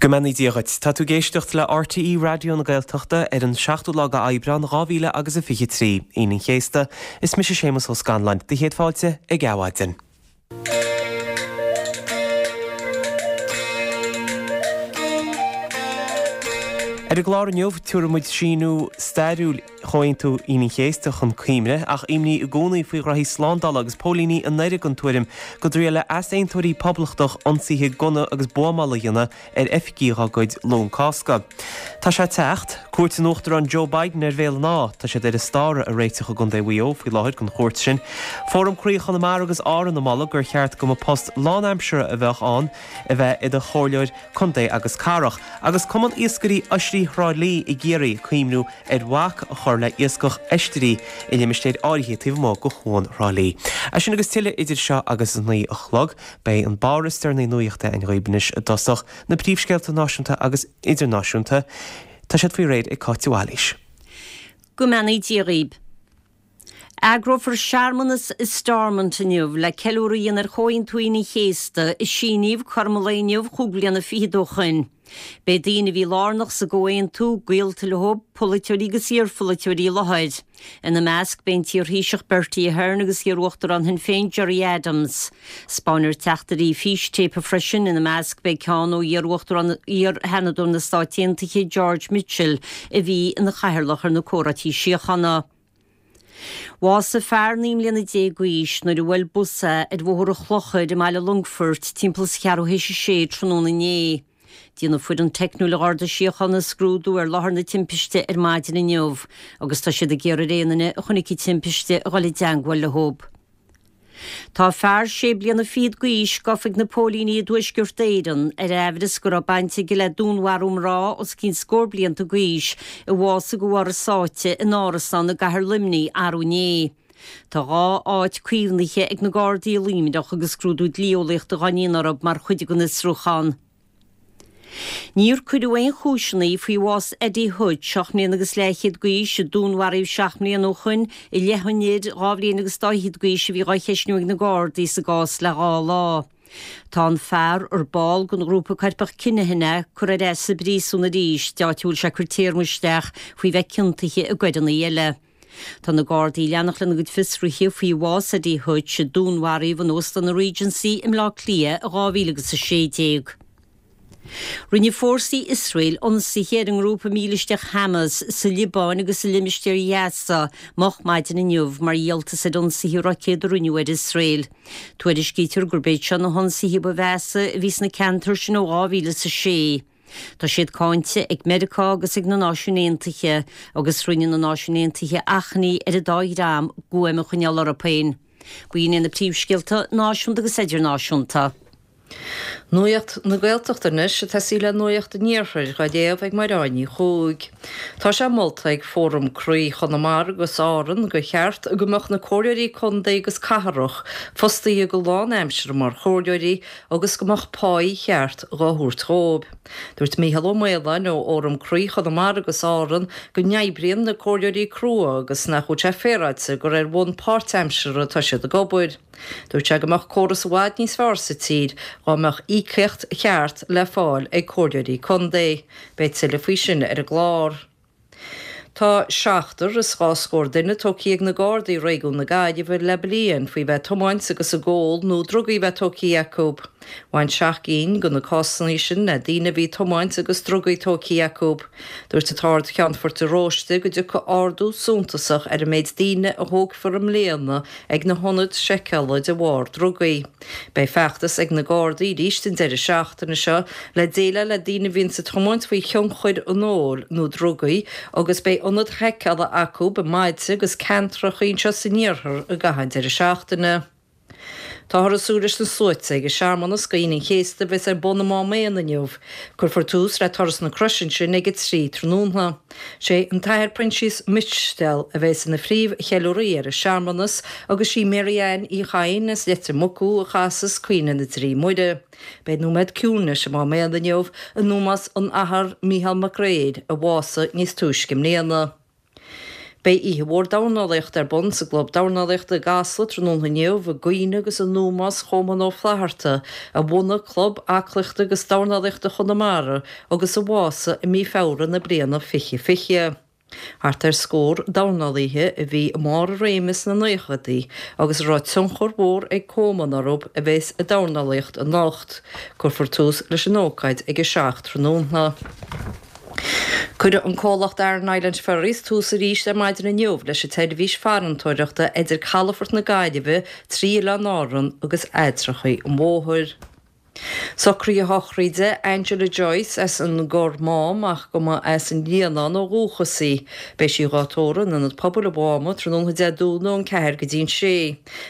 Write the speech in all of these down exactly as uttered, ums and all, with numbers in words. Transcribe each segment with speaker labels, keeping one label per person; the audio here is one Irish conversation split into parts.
Speaker 1: Go mbeannaí Dia dhuit. Tá tú ag éisteacht le RTÉ Raidió na Gaeltachta ar an seachtú lá d'Aibreán dhá mhíle agus a fiche trí, Aoine an Chéasta. Is mise Séamus Ó Scanláin, do chéad fáilte ag Adhmhaidin. Ar an gclár inniu, tabharfaidh muid síniú stairiúil Chomhaontú Aoine an Chéasta chun cuimhne, ach imní i gcónaí faoi ghraithí slándála agus póilíní i nDoire den tuairim go dtriailfidh easaontóirí poblachtach ionsaithe gunna agus buamála a dhéanamh ar oifigí dá gcuid Luan Cásca. Tá sé ag teacht. Cuairt an Uachtaráin Joe Biden ar Bhéal an Átha. Tá siad ar an starradh a réiteach i gContae Mhaigh Eo faoi láthair don chuairt sin. Fóram Croí Chonamara agus Árann ag moladh gur cheart go mba post lánaimseartha a bheadh ann a bheith i do chomhairleoir contae agus cathrach. Agus Cumann Iascairí Oisrí Thrá Lí i gCiarraí ag cuimhniú ar bhac a chur le iascach oistrí i limistéir áirithe taobh amuigh de Chuan Thrá Lí. É sin agus tuilleadh idir seo agus a naoi a chlog. Beidh an barr is deireanaí nuachta againn dhaoibh anois i dtosach, na príomhscéalta náisiúnta agus idirnáisiúnta. Tá siad faoi réir ag Cáit de Bhailís.
Speaker 2: Go mbeannaí Dia dhaoibh. Eagrófar searmanas i Stormont inniu le ceiliúradh a dhéanamh ar Chomhaontú Aoine an Chéasta, a síníodh cothrom an lae inniu chúig bliana fichead ó shoin. Beidh daoine a bhí lárnach sa gcomhaontú, gaolta leo, polaiteoirí agus iarpholaiteoirí i láthair. Ina measc beidh an t-iarThaoiseach Bertie Ahern agus iarUachtarán Shinn Féin Gerry Adams. Spáinfear teachtairí fístéipe freisin, ina measc beidh ceann ó iar-Uachtarán, iar-Sheanadóir na Stát Aontaithe George Mitchell a bhí ina chathaoirleach ar na comhráití síochána. Bhásaigh fear naoi mbliana déag d'aois nuair a bhuail bus é ar Bhóthar an Chlochair i mbaile Longfoirt timpeall is ceathrú théis a sé tráthnóna inné. Déanfaidh foireann teicniúil an Gharda Síochána scrúdú ar láthair na timpiste ar maidin inniu agus tá siad ag iarraidh ar aon duine a chonaic an timpiste a dhul i dteangmháil leo. Tá fear sé bliana fichead d'aois gafa ag na póilíní i dTuaisceart Éireann ar aimhreas go raibh baint aige le dúnmharú mná os cionn scór blianta d'aois a bhásaigh de bharr a sáite in árasán i gcathair Luimnigh arú inné. Tá dhá áit caomhnaithe ag na Gardaí i Luimneach agus scrúdú dlí-eolaíochta dhá ndéanamh orthu mar chuid den fhiosrúchán. Níor cuireadh aon chúiseanna faoi bhás Eddie Hutch, seacht mbliana agus leathchéad d'aois, a dúnmharaíodh seacht mbliana ó shoin, i leith an fhir dhá bhliain agus dá fhichead d'aois a bhí dhá cheistniú ag na Gardaí sa gcás le dhá lá. Tá an fear, ar ball den ghrúpa coirpeach Kinahan é, curtha ar ais sa bpríosún arís, áit a bhfuil sé ag cur téarma isteach faoi bheith ciontaithe i gcoireanna eile. Tá na Gardaí ag leanacht lena gcuid fiosruithe faoi bhás Eddie Hutch, a dúnmharaíodh in Óstán an Regency i mBleá Cliath i dhá mhíle agus a sé déag. Rinne fórsaí Iosrael ionsaithe ar an ngrúpa mílisteach Hamas sa Liobáin agus i limistéar Ghaza moch maidin inniu mar dhíoltas ar ionsaithe roicéad a rinneadh ar Iosrael. Tuairiscítear gurb iad seo na hionsaithe ba mheasa a bhí sna ceantair sin ó dhá mhíle is a sé. Tá siad cáinte ag Meiriceá agus ag na Náisiúin Aontaithe agus rinne na Náisiúin Aontaithe achainí ar an dá dhream guaim a choinneáil orthu féin. B'in iad na príomhscéalta náisiúnta agus idirnáisiúnta.
Speaker 3: Nuacht na Gaeltachta anois, ag tosaí le Nuacht an Iarthair, dhá léamh ag Mairéad Ní Chuaig. Tá sé molta ag Fóram Croí Chonamara agus Árann gur cheart go mbeadh na comhairleoirí contae agus cathrach fostaithe go lánaimseartha mar chomhairleoirí agus go mbeadh páí cheart dhá thabhairt dhóibh. Dúirt Mícheál Ó Maoláin ó Fhóram Croí Chonamara agus Árann go n-oibríonn na comhairleoirí crua agus nach bhfuil sé féaráilte gur ar bhonn páirtaimseartha atá siad ag obair. Dúirt sé go mbeadh córas i bhfad níos fearr sa tír dhá mbeadh íocaíocht cheart le fáil ag comhairleoirí contae. Beidh tuilleadh faoi sin ar an gclár. Tá seachtar is dhá scór duine tógtha ag na Gardaí i réigiún na Gaillimhe le bliain faoi bheith ag tiomáint agus ag ól nó drugaí a bheith tógtha acu. Bhain seacht gcinn de na cásanna sin le daoine a bhí ag tiomáint agus drugaí tógtha acu. Dúirt an tArd-Cheannfort de Róiste go dtiocfaidh ardú suntasach ar an méid daoine a thógfar i mbliana ag na hionaid seiceála de bharr drugaí. Beidh feachtas ag na Gardaí arís an deireadh seachtaine seo le déileáil le daoine a bhíonns ag tiomáint faoi thionchar an óil nó drugaí agus beidh ionaid sheiceála acu i mbailte agus ceantracha anseo san iarthar i gcaitheamh an deireadh seachtaine. Táthar ag súil leis na sluaite ag an searmanas d'Aoine an Chéasta a bheas ar bun i Mám Éan inniu. Cuirfear tús le Turas na Croise ansin ag a trí tráthnóna. Sé an tAthair Proinsias Mistéal a bheas ina phríomh-cheiliúraí ar an searmanas agus sí Mary Ann Uí Chadhain as Leitir Mucú a chasfas Caoineadh na dTrí Muire. Beidh nóiméad ciúnais i Mám Éan inniu in ómós an Athar Mícheál Mac Gréir a bhásaigh níos túisce i mbliana. Beidh oíche mhór dornálaíochta ar bun sa gClub Dornálaíochta i gCasla tráthnóna inniu i gcuimhne agus in ómós Choman Ó Flatharta, a bhunaigh Club Aclaíochta agus Dornálaíochta Chonamara agus a bhásaigh i mí Feabhra na bliana fiche fiche. Thart ar scór dornálaithe a bhí i mbarr a réime sna naochadaí agus a raibh tionchar mhór ag Coman orthu a bheas ag dornálaíocht anocht. Cuirfear tús leis an ócáid ag a seacht tráthnóna. Cuirfidh an comhlacht Aran Island Ferries tús arís ar maidin inniu leis an tseirbhís farantóireachta idir Calafort na Gaillimhe trí Oileáin Árann agus Eadrachaí an Mhóthair. Socruithe sochraide Angela Joyce as an gCorr Mám ach go mba as an Líonán ó dhúchas í. Beidh sí dhá tórramh in Ionad Pobail an Mháma tráthnóna Dé Domhnaigh ón ceathair go dtí an sé.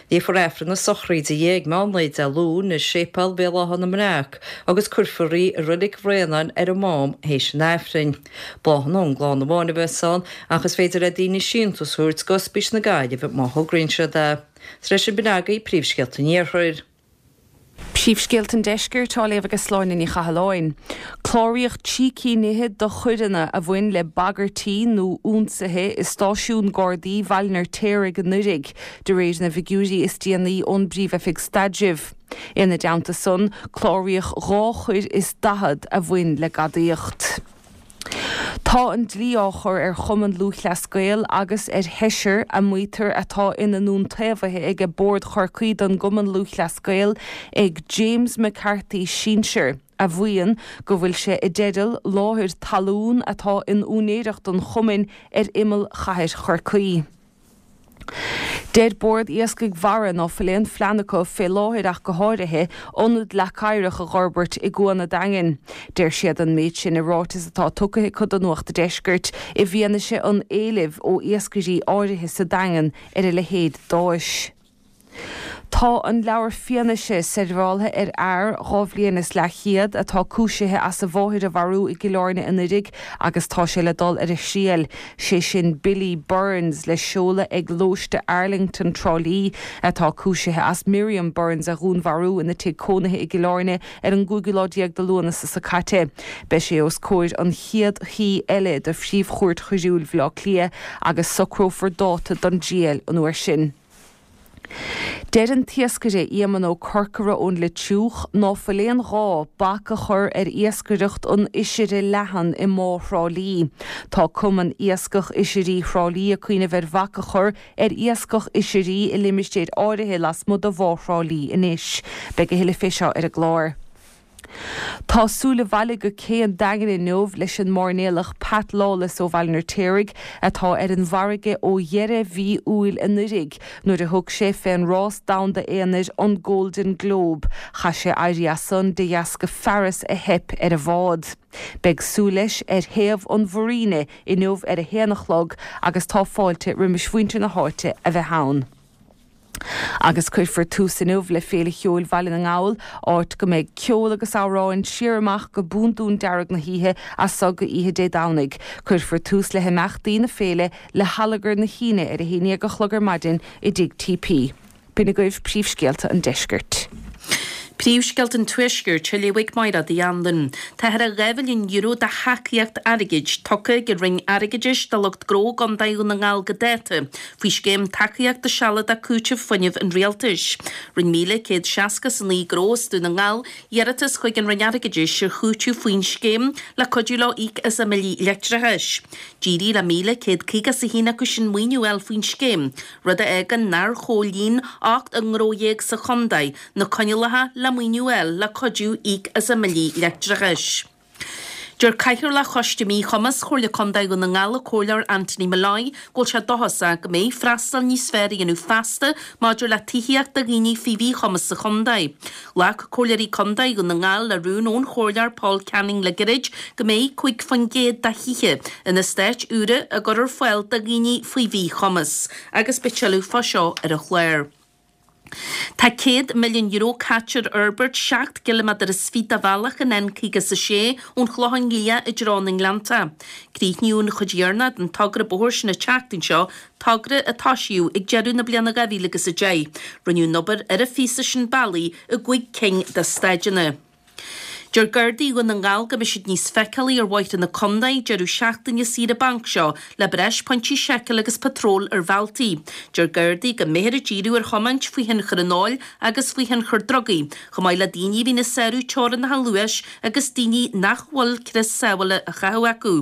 Speaker 3: Léifear Aifreann na sochraide di ag meán lae Dé Luain i Séipéal Bhéal Átha na mBreac agus cuirfear í i Reilig Bhraonáin ar an Mám théis an Aifrinn. Bláthanna ón gclann amháin a bheas ann ach is féidir le daoine síntiús a thabhairt d'Ospís na Gaillimhe má thograíonn siad é. Tar éis sin b'in agaibh príomhscéalta an Iarthair.
Speaker 4: Príomhscéalta an Deiscirt á léamh ag Sláine Ní Chathalláin. Cláraíodh trí cinn fhichead de choireanna a bhain le bagairtí nó ionsaithe i stáisiún Gardaí Bhaile an Fheirtéaraigh anuraidh, de réir na bhfigiúirí is déanaí ón bPríomh-Oifig Staidrimh. Ina dteannta san, cláraíodh dhá choir is daichead a bhain le gadaíocht. Tá an dlí á chur ar Chumann Lúthchleas Gael agus ar sheisear a maítear atá ina n-iontaobhaithe ag Bord Chorcaí don gCumann Lúthchleas Gael ag James McCarthy sinsir, a mhaíonn go bhfuil sé i dteideal láthair talún atá in úinéireacht an chumainn ar imeall chathair Chorcaí. Deir Bord Iascaigh Mhara ná fuil aon phlean acu fé láthair ach go háirithe, ionad leac oighreach a dh'fhorbairt i gCuan a' Daingin. Deir siad an méid sin i ráiteas atá tugtha acu do Nuacht a' Deiscirt i bhfianaise an éilimh ó iascairí áirithe sa Daingean ar a leithéid d'áis. Tá an leabhar fianaise seirbheáltha ar fhear dhá bhliain is leathchéad atá cúisithe as a mháthair a mharú i gCill Airne anuraidh agus tá sé le dul ar a thriail, sé sin Billy Burns le seoladh ag Lóiste Arlington, Trá Lí, atá cúisithe as Miriam Burns a dhúnmharú ina tigh cónaithe i gCill Airne ar an gcúigiú lá déag de Lúnasa seo caite. Beidh sé os comhair an chéad shuí eile de Phríomh-Chúirt Choiriúil Bhaile Átha Cliath agus socrófar dáta don dtriail an uair sin. Deir an t-iascaire Éamonn Ó Corcora ón Leitriúch ná fuil aon ghá bac a chur ar iascaireacht an oisire leathan i mBá Thrá Lí. Tá Cumann Iascach Oisirí Thrá Lí ag cuimhneamh ar bhac a chur ar iascach oisirí i limistéir áirithe lasmuigh de Bhá Thrá Lí anois. Beidh a thuilleadh fé seo ar an gclár. Tá súil abhaile go cé an Daingin inniu leis an mairnéalach Pat Lawless ó Bhaile an Fheirtéaraigh atá ar an bhfarraige ó dheireadh mhí Iúil anuraidh nuair a thug sé fén rás domhanda aonair an Golden Globe. Chaith sé éirí as san de dheasca fearas a theip ar a bhád. Beidh súil leis ar thaobh an mhuiríne inniu ar a haon a chlog agus tá fáilte roimis mhuintir na háite a bheith ann. Agus cuirfear tús inniu le Féile Cheoil Bhaile na nGall, áit go mbeidh ceol agus amhráin siar amach go búndún dearg na hoíche as so go oíche Dé Domhnaigh. Cuirfear tús le himeachtaí na féile le hallagar na hAoine ar a haon déag a chlog ar maidin i dTigh TP. B'in agaibh príomhscéalta an deiscirt.
Speaker 5: Príomhscéalta an Tuaiscirt á léamh ag Máire Uí Anluain. Tá thar dhá mhilliún euro de thacaíocht airgid tugtha ag an Roinn Airgeadais do lucht gnó i gContae Dhún na nGall go dáta faoi Scéim Tacaíochta Sealadach Cúitimh Fuinnimh an Rialtais. Rinne míle céad seasca is a naoi gnó as Dún na nGall iarratas chuig an Roinn Airgeadais ar chúiteamh faoin scéim le cuidiú leo íoc as a mbillí leictreachais. D'éirigh le míle céad caoga is a haon acu sin maoiniú a fháil faoin scéim, rud a fhágann nár chomhlíon ocht ngnó dhéag sa chontae na coinníollacha le maoiniú a fháil le cuidiú íoc as a mbillí leictreachais. Deir Cathaoirleach Choiste Míchumas Chomhairle Contae Dhún na nGall, an Comhairleoir Anthony Molloy, go bhfuil sé dóchasach go mbeidh freastal níos fearr a dhéanamh feasta maidir le tithíocht do dhaoine faoi mhíchumas sa chontae. Ghlac Comhairleoirí Contae Dhún na nGall le rún ón Chomhairleoir Paul Canning le gairid go mbeidh cúig faoin gcéad de thithe in eastáit úra á gcur ar fáil do dhaoine faoi mhíchumas agus beidh tuilleadh fá seo ar an chlár. Tá céad milliún euro caite ar fhorbairt seacht gciliméadar is fiche de bhealach an N caoga is a sé ón Chlochán Liath i dtreo na nGleannta. Críochnaíodh an chuid dheireanach den togra bóthair sin an tseachtain seo, togra a toisíodh ag deireadh na bliana dhá mhíle agus a deich. Rinneadh an obair ar an phíosa sin bealaigh i gcúig cinn de staideanna. Deir Gardaí Dhún na nGall go mbeidh siad níos feiceálaí ar bhóithre na contae deireadh seachtaine saoire bainc seo le breis pointí seiceála agus patról ar bhealtaí. Deir Gardaí go mbeifear ag díriú ar thiomáint faoi thionchar an óil agus faoi thionchar drugaí, chomh maith le daoine a bhíonn ag sárú teorainneacha luais agus daoine nach bhfuil crios sábhála á chaitheamh acu.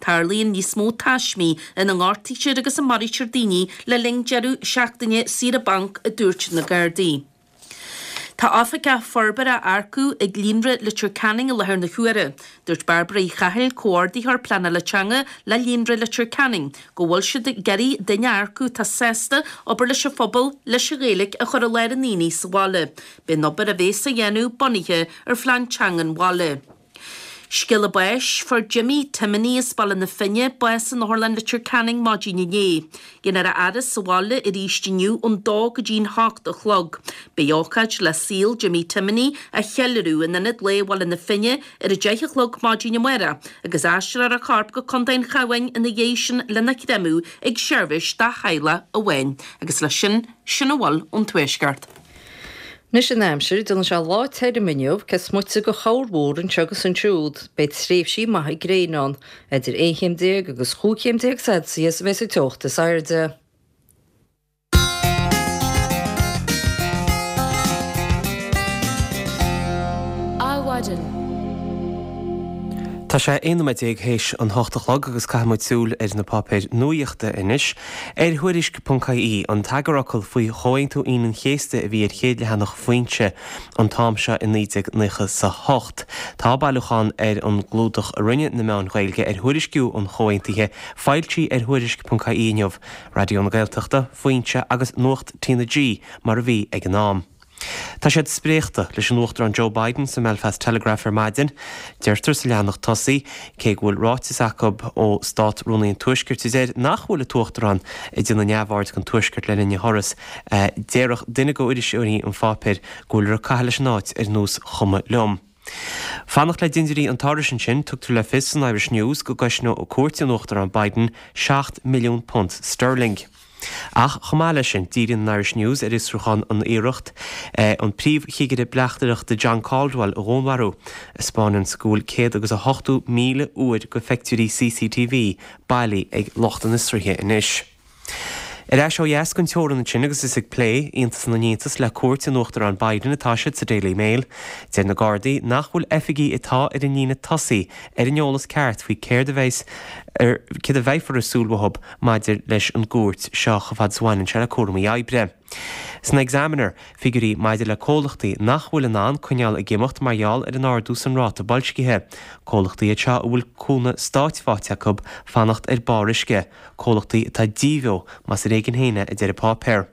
Speaker 5: Tarlaíonn níos mó taismí ina ngortaítear agus a maraítear daoine le linn deireadh seachtaine saoire bainc, a dúirt na Gardaí. Tá oifigeach forbartha á earcú ag Líonra Leitir Ceanainn i láthair na huaire. Dúirt Bairbre Uí Chathail, Comhordaitheoir Pleanála Teanga le Líonra Leitir Ceanainn, go bhfuil siad ag iarraidh duine a earcú atá sásta obair leis an phobal leis an Ghaeilge a chur i lár an aonaigh sa bhaile. Beidh an obair a bheas á dhéanamh bunaithe ar phlean teanga an bhaile. Scéala báis, Fuair Jimmy Timoney as Baile na Finne bás in Otharlann Leitir Ceanainn maidin inné. Déanfar a fhaire sa bhaile arís inniu ón dó go dtí'n hocht a chlog. Beidh ócáid le saol Jimmy Timoney a cheiliúradh in Ionad Lae Bhaile na Finne ar a deich a chlog maidin amárach agus aistreofar a chorp go Contae an Chabháin ina dhiaidh sin lena chreimeadh ag seirbhís dá theaghlach amháin. Agus leis sin, sin a bhfuil ón Tuaisceart.
Speaker 3: Anois an aimsir, déanfaidh sé lá tirim inniu, cé is moite de chorrmhúr anseo agus ansiúd. Beidh tréimhsí maithe gréine ann. Idir aon chéim déag agus chúig chéim déag Celsius a bheas an teocht is airde.
Speaker 4: Adhmhaidin.
Speaker 1: Tá sé aon nóiméad déag théis an hocht a chlog agus caithfidh muid súil ar na páipéir nuaíochta anois. Ar Thuairisc ponc ie, an t-eagarfhocal faoi Chomhaontú Aoine an Chéasta a bhí ar chéad leathanach Foinse an t-am seo i naoi déag nócha 's a hocht. Tá bailiúchán ar an gclúdach a rinne na meáin Ghaeilge ar thuairisciú an Chomhaontaithe foilsithe ar Thuairisc ponc ie inniu, Raidió na Gaeltachta, Foinse agus Nuacht T na G mar a bhí ag an am. Tá siad spréachta leis an Uachtarán Joe Biden sa mBelfast Telegraph ar maidin. Deirtear sa leathanach tosaigh, cé go bhfuil ráiteas acu ó Stát-Rúnaí an Tuaiscirt a deir nach bhfuil an tUachtarán ag déanamh neamhaird den Tuaisceart le linn a thuras, déarfadh duine de iriseoirí an pháipéir go bhfuiltear ag caitheamh leis an áit ar nós chuma liom. Fanacht le dindiúirí an turais ansin, tugtar le fios san Irish News go gcosnóidh cuairt an Uachtaráin Biden seacht milliún punt sterling. Ach chomh maith leis sin, díríonn an Irish News ar fhiosrúchán an iarracht an príomhchigire bleachtaireachta John Caldwell a dhúnmharú, a 'spáineanns go bhfuil céad agus a hochtó míle uair de phictiúirí C C T V bailí ag lucht an fhiosraithe anois. Ar ais ó dheas den teorainn ansin agus is ag plé iontas na n-iontas le cuairt an Uachtaráin Biden atá siad sa Daily Mail. Deir na Gardaí nach bhfuil oifigigh atá ar an líne tosaigh ar an eolas ceart faoi céard a bheas ar céard a bheifear ag súil uathu maidir leis an gcuairt seo chomh fada is a bhaineann sé le cúraimí oibre. San Examiner, figiúirí maidir le comhlachtaí nach bhfuil in ann coinneáil ag imeacht mar gheall ar an ardú san ráta boilscithe. Comhlachtaí iad seo a bhfuil cúnamh stáit faighte acu fanacht ar barr uisce, comhlachtaí atá díbheo más ar éigean féin é a deir an páipéar.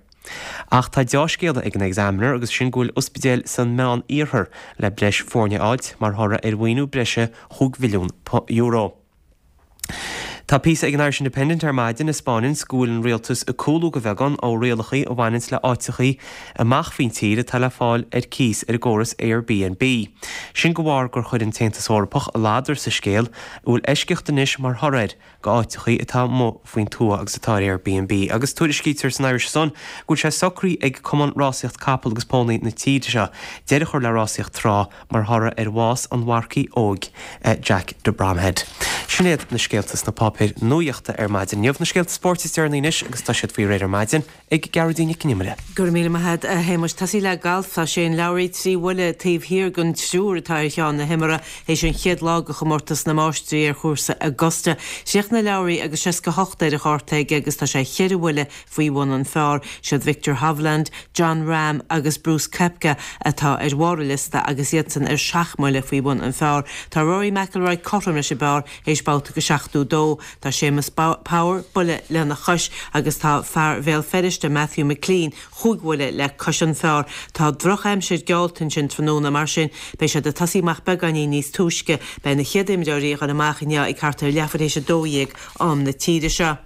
Speaker 1: Ach tá deá-scéala ag an Examiner agus sin go bhfuil ospidéil san Meán Iarthar le breis foirne a fháilt mar thoradh ar mhaoiniú breise chúig mhilliún euro. Tá píosa ag an Irish Independent ar maidin a 'spáineanns go bhfuil an rialtas ag cúlú de bheagán ó rialachaí a bhaineanns le áiteachaí amach faoin tír atá le fáil ar cíos ar an gcóras Airbnb. Sin de bharr gur chuir an tAontas Eorpach a ladar sa scéal, a bhfuil eisceacht anois mar thoradh air go áiteachaí atá amuigh faoin tuath agus atá ar Airbnb. Agus tuairiscítear san Irish Sun go bhfuil sé socraithe ag Cumann Rásaíocht Capall agus Pónaí na tíre seo deireadh a chur le rásaíocht trá mar thoradh ar bhás an mharcaigh óig Jack de Bromhead. Sin iad na scéalta sna páipéir nuaíochta ar maidin inniu. Na scéalta spóirt is deireanaí anois agus tá siad faoi réir ar maidin ag Gearóidín Nic an Iomaire.
Speaker 6: Go raibh míle maith agat, a Shéamuis. Tosaí le galf, tá Shane Lowry trí bhuille taobh thiar den triúr atá ar cheann na himeartha théis an chéad lá de chomórtas na Máistrí ar chúrsa Augusta. Chríochnaigh Lowry agus seasca hocht ar a chárta aige agus tá sé cheithre bhuille faoi bhun an phar. Siad Viktor Hovland, Jon Rahm agus Brooks Koepka atá ar bharr an liosta agus iadsan ar seacht mbuille faoi bhun an phar. Tá Rory McIlroy cothrom leis an bpar théis babhta de seachtó dó. Tá Séamus Power buille lena chois agus tá fear Bhéal Feirste Matthew McClean chúig bhuille le cois an phar. Tá drochaimsir geallta ansin tráthnóna, mar sin beidh siad ag tosaí amach beagáinín níos túisce. Beidh na chéad imreoirí ag dul amach inniu ag thart ar leathuair théis a dó dhéag am na tíre seo.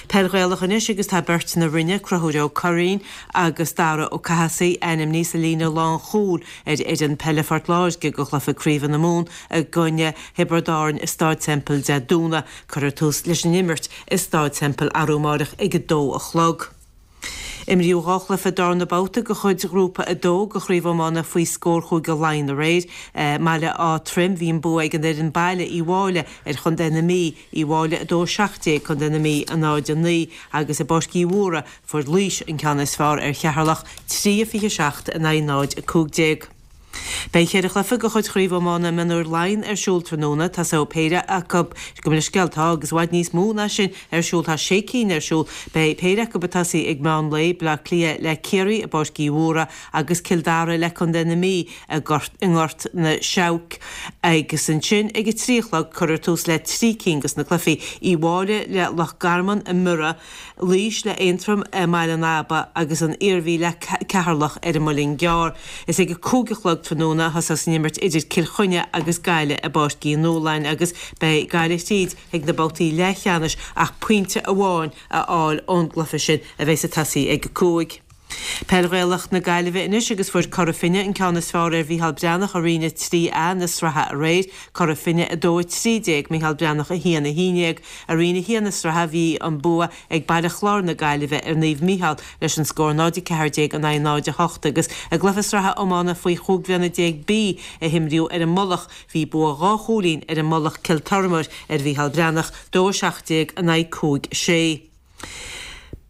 Speaker 6: Peil Ghaelach anois agus tá beirt na Rinne, Conchúr Ó Curraoin agus Dara Ó Cathasaigh, ainmnithe sa líne lánchúil ar fhoireann peile Phort Láirge do chluiche Craoibhe na Mumhan i gcoinne Thiobraid Árann i Stáid Semple Dé Domhnaigh. Cuirfear tús leis an imirt i Stáid Semple arú amáireach ag a dó a chlog. Imríodh dhá chluiche darna babhta de chuid Ghrúpa a dó de Chraobh Iomána faoi scór Chúige Laighean aréir. I mBaile Átha Troim bhí an bua ag an fhoireann baile Uíbh Fhailí ar Chontae na Mí, Uíbh Fhailí a dó a seacht déag, Contae na Mí a náid a naoi, agus i bPáirc Uí Mhórdha fuair Laois an ceann is fearr ar Cheatharlach, trí a fiche seacht in aghaidh náid a cúig déag. Beidh ceithre chluiche de chuid Chraobh Iomána Mionúir Laighean ar siúl tráthnóna. Tosóidh péire acu, gabh mo leithscéal, tá agus i bhfad níos mó ná sin ar siúl, tá sé cinn ar siúl. Beidh péire acu ag tosaí ag meán lae, Bleá Cliath le Ciarraí i bPáirc Uí Mhórdha agus Cill Dara le Contae na Mí i nGort na Seabhac. Agus ansin ag a trí a chlog cuirfear tús le trí cinn de na cluichí, Uíbh Fhailí le Loch Garman i mBiorra, Laois le Aontroim i mBaile an Aba agus an Iarmhí le Ceatharlach ar an Muileann gCearr. Is ag a cúig a chlog tráthnóna a thosós an imirt idir Cill Chainnigh agus Gaillimh i bPáirc Uí Nualláin agus beidh Gaillimh tríd chuig na babhtaí leathcheannais ach pointe amháin a fháil ón gcluiche sin a bheas ag tosaí ag a cúig. Peil Ghaelach na Gaillimhe anois agus fuair Cora Finne an ceann is fearr ar Mhícheál Breathnach i Roinn a trí A na sraithe aréir, Cora Finne a dó a trí déag, Mícheál Breathnach a haon a haon déag. I Roinn a haon na sraithe bhí an bua ag Baile Chláir na Gaillimhe ar Naomh Mícheál leis an scór náid a ceathair déag in aghaidh náid a hocht agus i gcluiche sraithe iomána faoi chúig bhliana déag B a himríodh ar an Mullach bhí bua dhá chúilín ar an Mullach Cill Tormair ar Mhícheál Breathnach, dó a seacht déag in aghaidh cúig sé.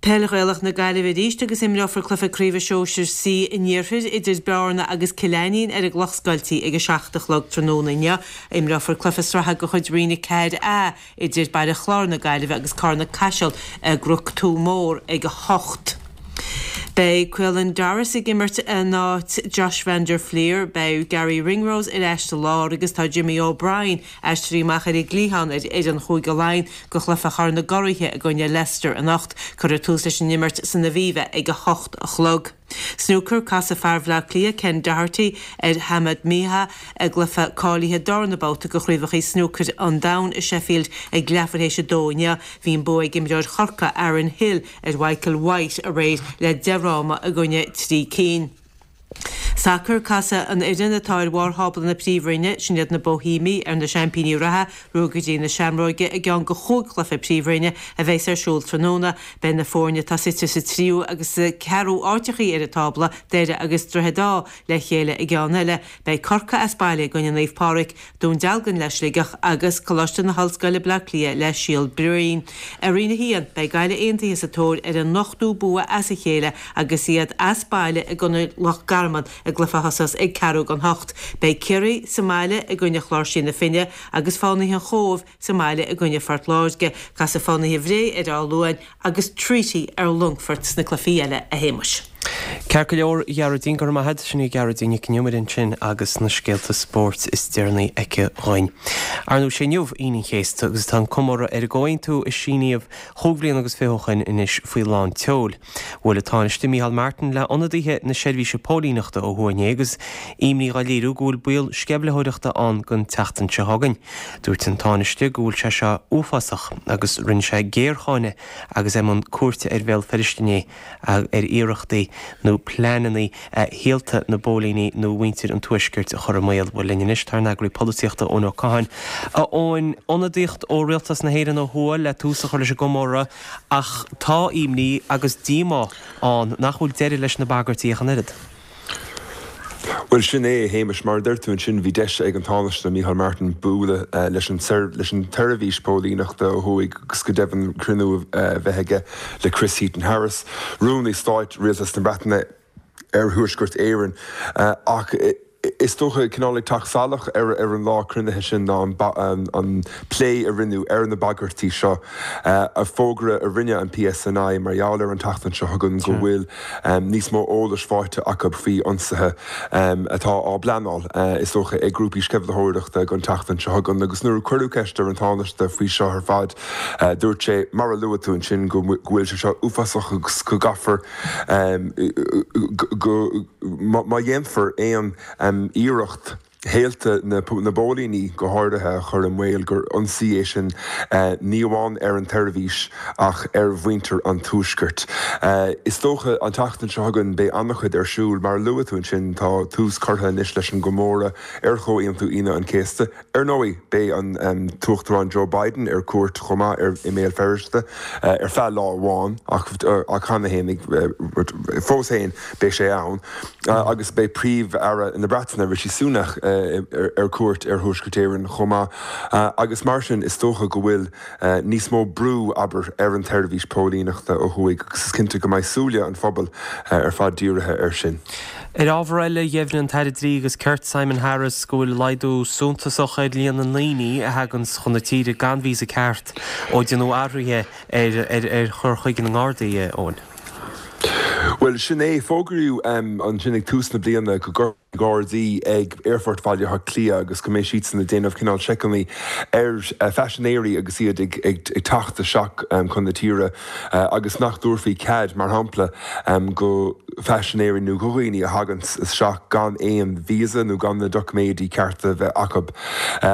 Speaker 6: Peil Ghaelach na Gaillimhe arís agus imreofar cluiche craoibhe sóisir C an Iarthair idir Bearna agus Cill Ainnín ar an gCloch Scoiltí ag a seacht a chlog tráthnóna inniu. Imreofar cluiche sraithe de chuid Roinn a ceathair A idir Baile Chláir na Gaillimhe agus Carna Caiseal i gCnoc Tuath Mór ag a hocht. Beidh Caelan Doris ag imirt in áit Josh van der Flier, beidh Garry Ringrose ar ais sa lár agus tá Jimmy O'Brien aistrithe amach ar an gcliathán ar fhoireann Chúige Laighean do chluiche Chorn na gCuraithe i gcoinne Leicester anocht. Cuirfear tús leis an imirt san Aviva ag a hocht a chlog. Snúcar, Casfaidh fear Bhaile Átha Cliath, Ken Doherty, ar Hamed Miah i gcluiche cáilithe darna babhta de Chraobhacha Snúcair an Domhain i Sheffield ag leathuair théis a dó inniu. Bhí an bua ag imreoir Chorcaí, Aaron Hill, ar Michael White aréir le deich fhráma i gcoinne trí cinn. Sacar, Casfaidh an fhoireann atá ar bharr thábla na Príomhroinne, sin iad na Boihéamaigh, ar na seaimpíní reatha, Ruagairí na Seamróige, i gceann de chúig chluiche Príomhroinne a bheas ar siúl tráthnóna. Beidh na foirne atá suite sa tríú agus sa cheathrú áiteachaí ar an tábla, Doire agus Droichead Átha, le chéile i gceann eile. Beidh Corcaigh as baile i gcoinne Naomh Pádraig, Dún Dealgan le Sligeach agus Coláiste na hOllscoile Bleá Cliath le Síol Bhroin. I Roinn a haon, beidh Gaillimh Aontaithe sa tóir ar a n-ochtú bua as a chéile agus iad as baile i gcoinne Loch Garman i gcluiche a thosós ag ceathrú don hocht. Beidh Ciarraí sa mbaile i gcoinne Chláirsigh na Finne agus Fánaithe an Chóibh sa mbaile i gcoinne Phort Láirge. Casfaidh Fánaithe Bhré ar Áth Luain agus Treaty ar Longfort sna cluichí eile, a Shéamais.
Speaker 1: Ceart go leor, a Ghearóidín, go raibh maith agat. Sin í Gearóidín Nic an Iomaire ansin agus na scéalta spóirt is deireanaí aici dhúinn. Ar ndóigh, sé inniu Aoine an Chéasta agus tá an comóradh ar an gcomhaontú a síníodh chúig bhliana agus fiche ó shoin anois faoi lán tseoil. Bhuail an Tánaiste Micheál Martin le ionadaithe na seirbhíse póilíneachta ó thuaidh inné agus imní dhá léiriú go bhfuil baol sceimhlitheoireachta ann don tseachtain seo chugainn. Dúirt an Tánaiste go bhfuil sé seo uafásach agus rinne sé géarcháineadh agus é i mbun cuairte ar Bhéal Feirste inné ar iarrachtaí nó pleananna shaolta na bpóilíní nó mhuintir an Tuaiscirt a chur i mbaol. Bhuel linn anois tá ár n-eagraí polaitíochta Eoin Ó Catháin. A Eoin, ionadaíocht ó Rialtas na hÉireann ó thuaidh le tús a chur leis an gcomóradh ach tá imní agus díomá ann nach bhfuil deireadh leis na bagairtí ach an oiread.
Speaker 7: Bhuel, sin é, a Shéamais, mar a deir tú ansin, bhí deis ag an Tánaiste Micheál Martin bualadh leis an leis an tseirbhís póilíneachta ó thuaidh agus go deimhin cruinniú a bheith aige le Chris Heaton-Harris, Rúnaí Stáit Rialtas na Breataine ar Thuaisceart Éireann. Ach is dócha cineál ag teacht salach ar ar an lá cruinnithe sin ná an an plé a rinneadh ar na bagairtí seo, a fógra a rinne an PSNI mar gheall ar an tseachtain seo chugainn go bhfuil níos mó eolais faighte acu faoi ionsaithe atá á bpleanáil, is dócha, ag grúpaí sceimhlitheoireachta don tseachtain seo chugainn. Agus nuair a cuireadh ceist ar an Tánaiste faoi seo ar fad, dúirt sé, mar a luaigh tú ansin, go bhfuil sé seo uafásach agus go gcaithfear go, má dhéanfar aon iarracht shaolta na bpóilíní go háirithe a chur i mbaol, gur ionsaí é sin ní amháin ar an tseirbhís ach ar mhuintir an Tuaiscirt. Is dócha an tseachtain seo chugainn beidh an-chuid ar siúl. Mar a luaigh tú ansin, tá tús curtha anois leis an gcomóradh ar Chomhaontú Aoine an Chéasta. Ar ndóigh, beidh an tUachtarán Joe Biden ar cuairt chomh maith i mBéal Feirste ar feadh lá amháin ach cheana féin, fós féin beidh sé ann agus beidh Príomh-Aire na Breataine Rishi Sunak ar cuairt ar Thuaisceart Éireann chomh maith agus mar sin is dócha go bhfuil níos mó brú, abair, ar an tseirbhís póilíneachta ó thuaidh agus is cinnte go mbeidh súile an phobail ar fad dírithe air sin.
Speaker 1: Ar ábhar eile, dheimhnigh an tAire Dlí agus Cirt Simon Harris go bhfuil laghdú suntasach ar líon na ndaoine a thagann chun na tíre gan víosa ceart ó déanadh athruithe ar chur chuige na nGardaí, Eoin.
Speaker 7: Bhuel, sin é. Fógraíodh ansin ag tús na bliana go gcuirfí Gardaí ag Aerfort Bhaile Átha Cliath agus go mbeidh siadsan ag déanamh cineál seiceanna ar phaisinéirí agus iad ag teacht isteach chun na tíre agus nach dtabharfaí cead, mar shampla, go phaisinéirí nó go dhaoine a thagann isteach gan aon visa nó gan na doiciméidí cearta a bheith acu.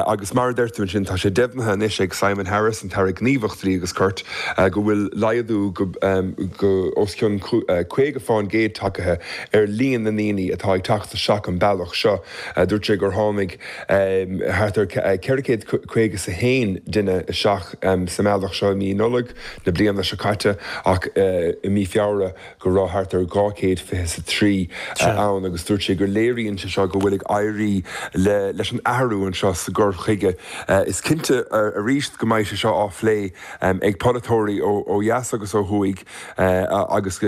Speaker 7: Agus mar a deir tú ansin, tá sé deimhnithe anois ag Simon Harris, an tAire Gníomhach Dlí agus Cirt, go bhfuil laghdú go os cionn caoga fán gcéad tagtha ar líon na ndaoine atá ag teacht isteach an bealach seo. Dúirt sé gur tháinig thart ar ceithre chéad caoga is a haon duine isteach sa mbealach seo i mí Nollag na bliana seo caite ach i mí Feabhra go raibh thart ar dhá chéad fiche is a trí ann agus dúirt sé gur léiríonn sé seo go bhfuil ag éirí leis an athrú anseo sa gcur chuige. Is cinnte arís go mbeidh sé seo á phlé ag polaiteoirí ó dheas agus ó thuaidh agus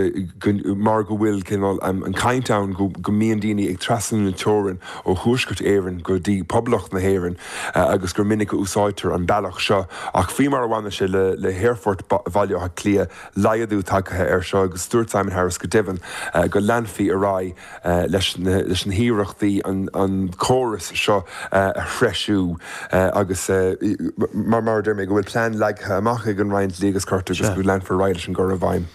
Speaker 7: mar go bhfuil cineál an chaint ann go mbíonn daoine ag trasnú na teorann ó Thuaisceart Éireann go dtí Poblacht na hÉireann agus gur minic a úsáidtear an bealach seo. Ach faoi mar a bhaineann sé le hAerfort Bhaile Átha Cliath, laghdú tagtha air seo agus dúirt Simon Harris go deimhin go leanfaí ar aghaidh leis na hiarrachtaí an córas seo a threisiú agus mar a deir mé go bhfuil plean leagtha amach ag an Roinn Dlí agus Cirt agus go leanfar ar aghaidh leis an gcur i bhfeidhm.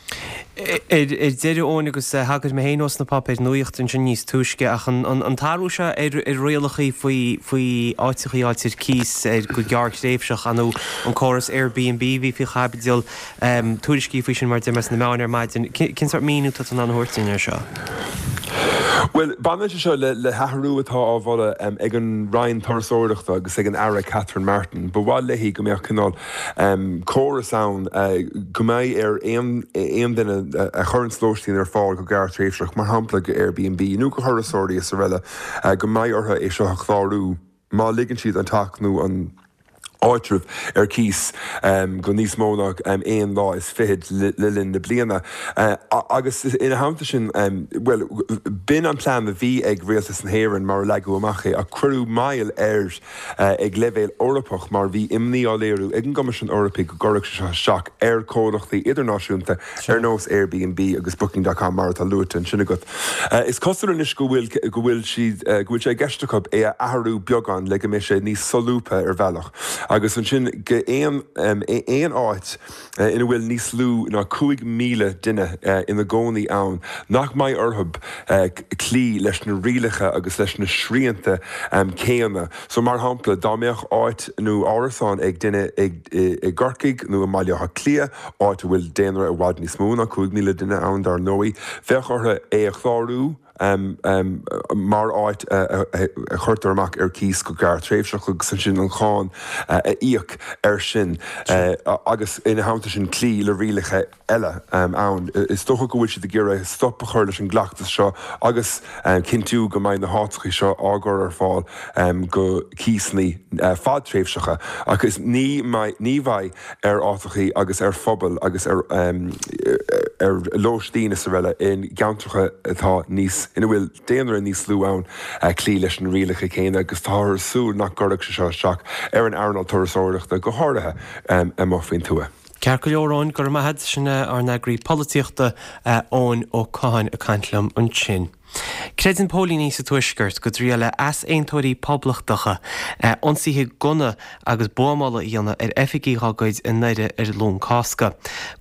Speaker 1: Ar deireadh, Eoin, agus thagair mé féin ós na páipéir nuachta ansin níos túisce, ach an t-athrú seo ar rialacha faoi faoi áiteachaí a fháilt ar cíos ar go gearrthréimhseach, nó an córas Airbnb a bhí faoi chaibidil, tuairiscí faoi sin mar a deir mé sna meáin ar maidin. Cén sórt míniú atá tú in ann a thabhairt dúinn air seo?
Speaker 7: Bhuel, baineann sé seo le hathrú atá á mholadh ag an Roinn Turasóireachta agus ag an Aire Catherine Martin. Ba mhaith léi go mbeadh cineál córas ann go mbeidh ar aon duine a chuireanns lóistín ar fáil go gearrthréimhseach, mar shampla go Airbnb nó go thurasóirí is araile, go mbeidh orthu é seo a chlárú má ligeann siad an teach nó an áitreabh ar cíos go níos mó ná aon lá is fichead le linn na bliana. Agus ina theannta sin, bhuel, b'in an plean a bhí ag Rialtas na hÉireann mar a leagadh amach é, ach cuireadh moill air ag leibhéal Eorpach mar bhí imní á léiriú ag an gCoimisiún Eorpaigh go gcuirfeadh sé seo isteach ar chomhlachtaí idirnáisiúnta ar nós Airbnb agus Booking dot com mar atá luaite ansin agat. Is cosúil anois go bhfuil go bhfuil siad go bhfuil sé i gceist acu é a athrú beagán le go mbeidh sé níos solúbtha ar bhealach agus ansin go aon aon áit ina bhfuil níos lú ná cúig míle duine ina gcónaí ann nach mbeidh orthu cloí leis na rialacha agus leis na srianta céanna. So mar shampla, dá mbeadh áit nó árasán ag duine i gCorcaigh nó i mBaile Átha Cliath, áit a bhfuil daonra i bhfad níos mó ná cúig míle duine ann dar ndóigh, bheadh orthu é a chlárú mar áit a chuirtear amach ar cíos go gearrthréimhseach agus ansin an cháin a íoc air sin agus ina theannta sin cloí le rialacha eile ann. Is dócha go bhfuil siad ag iarraidh stop a chur leis an gcleachtas seo agus cinntiú go mbeidh na háiteacha seo á gcur ar fáil go cíosanna fadtréimhseacha agus ní ní bheidh ar áiteacha agus ar phobail agus ar ar lóistín is araile i gceantracha atá níos ina bhfuil daonra níos lú ann cloí leis na rialacha céanna agus táthar ag súil nach gcuirfeadh sé seo isteach ar an earnáil turasóireachta go háirithe amuigh faoin tuath.
Speaker 1: Ceart go leor, Eoin, go raibh maith agat. Sin ár n-eagraí polaitíochta, Eoin Ó Catháin ag caint liom ansin. Creideann póilíní sa Tuaisceart go dtriailfidh easaontóirí poblachtacha ionsaithe gunna agus buamála a dhéanamh ar oifigigh dá gcuid i nDoire ar Luan Cásca.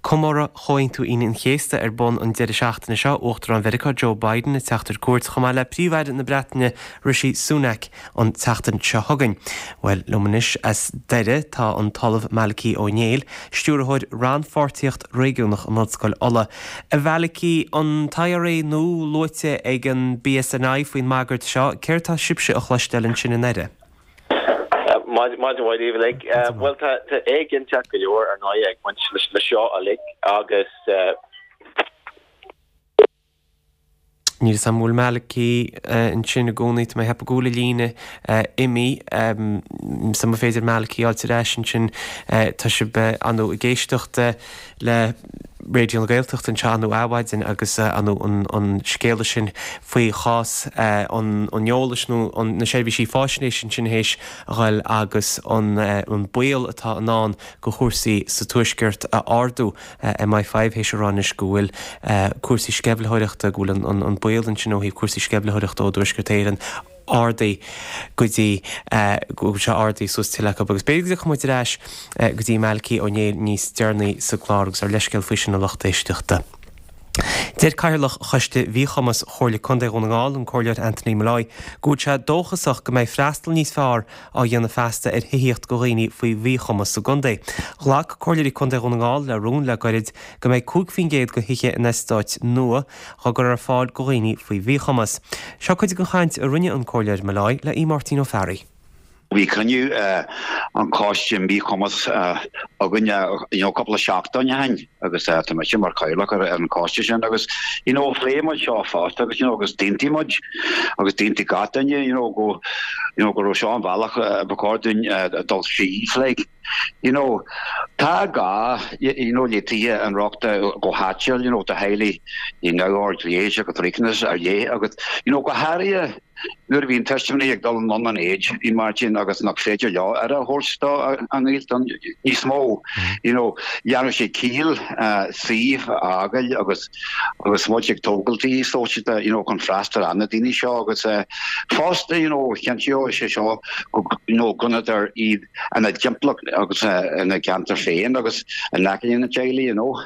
Speaker 1: Comóradh Chomhaontú Aoine an Chéasta ar bun an deireadh seachtaine seo, Uachtarán Mheiriceá Joe Biden ag teacht ar cuairt chomh maith le Príomh-Aire na Breataine Rishi Sunak an tseachtain seo chugainn. Bhuel, liom anois as Doire tá an tOllamh Malachy Ó Néill, Stiúrthóir Rannpháirtíocht Réigiúnach in Ollscoil Uladh. A Mhalachy, an t-I R A nua luaite ag an B S N I faoin mbagairt seo, céard tá sibhse a chloisteáil ansin i nDoire?
Speaker 8: Maidin mhaith daoibh uilig. Bhuel, tá éiginnteacht go leor ar ndóigh ag baint le seo uilig agus
Speaker 1: Níl a fhios agam an bhfuil Malachy ansin i gcónaí, tá mé ag ceapadh go bhfuil a líne imithe. Sea, más féidir Malachy a fháilt ar ais ansin, tá sibh ar ndóigh ag éisteacht le Raidió na Gaeltachta anseo ar ndóigh Adhmhaidin agus ar ndóigh an scéala sin faoi chás an eolais nó na seirbhísí fáisnéise ansin théis a dhul agus an baol atá in ann go chúrsaí sa Tuaisceart a ardú. M I five théis a rá anois go bhfuil cúrsaí sceimhlitheoireachta, go bhfuil an baol ansin ó thaobh cúrsaí sceimhlitheoireachta ó dTuaisceart Éireann ardaithe go dtí go bhfuil sé ardaithe suas tuilleadh acu agus b'fhéidir go dtiocfaidh muid ar ais go dtí Malachy Ó Néill níos deireanaí sa gclár agus ár leithscéal faoi sin a lucht éisteachta. Deir Cathaoirleach Choiste Mhíchumas Chomhairle Contae Dhún na nGall, an Comhairleoir Anthony Molloy, go bhfuil sé dóchasach go mbeidh freastal níos fearr á dhéanamh feasta ar thithíocht go dhaoine faoi mhíchumas sa gcontae. Ghlac Comhairleoirí Contae Dhún na nGall le rún le gairid go mbeidh cúig faoin gcéad go thithe in eastáit nua á gcur ar fáil go dhaoine faoi mhíchumas. Seo cuid den chaint a rinne an Comhairleoir Molloy le Aodh Máirtín Ó Fearraigh.
Speaker 9: Bhí cruinniú an choiste míchumas againn you know cúpla seachtain ó shin agus tá mise mar chathaoirleach ar an choiste sin agus you know phléigh muid seo fosta agus you know agus d'aontaigh muid agus d'aontaigh gach duine you know go you know go raibh seo an bealach ba chóir dúinn dul síos like you know tá gá you know le tithe inrochtana go háitiúil you know do theaghlaigh you know neamhord léis agus riachtanas ar leith agus you know go háirithe nuair a bhíonn tuismitheoirí ag dul anonn in aois a Mháirtín agus nach féidir leo aire a thabhairt do a ngaolta níos mó you know dhéanfadh sé ciall suíomh a fhágáil agus agus muid ag tógáil tithe sóisialta you know chun freastal ar na daoine seo agus fosta you know chinnteodh sé seo go you know gcoinneofaí iad ina dtimpeallacht agus ina gceantar féin agus in aice na dteaghlaigh you know.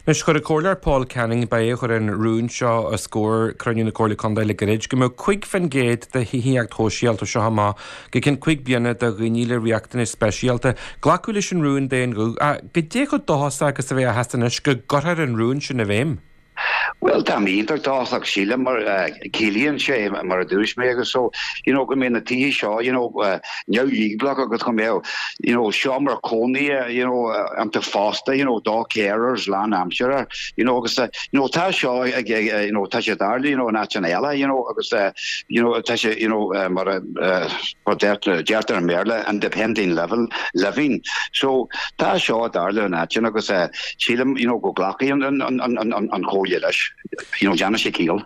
Speaker 10: Anois chuir an Comhairleoir Paul Canning, ba é a chuir an rún seo os comhair cruinniú na Comhairle Contae le gairid, go mbeadh cúig faoin gcéad de thithíocht shóisialta seo amach go ceann cúig bliana do dhaoine le riachtanais speisialta. Glacadh leis an rún d'aon ghuth. Goidé chomh dóchasach agus a bheifeá anois go gcuirfear an rún sin i bhfeidhm.
Speaker 9: Well, tá iontach dóchasach, sílim, mar ciallaíonn sé, mar a dúirt mé agus so you know go mbeidh na tithe seo you know neamhdhíobhálach agus go mbeidh you know seomra cónaithe you know iontu fosta you know do carers lánaimseartha you know agus you know tá seo ag you know tá sé ag tarlú you know in áiteanna eile you know agus you know tá sé you know mar a deirtear i mBéarla, independent level living, so tá seo ag tarlú in áiteanna agus sílim you know go nglacfaidh an an an an an chomhairle leis you know déanann sé ciall.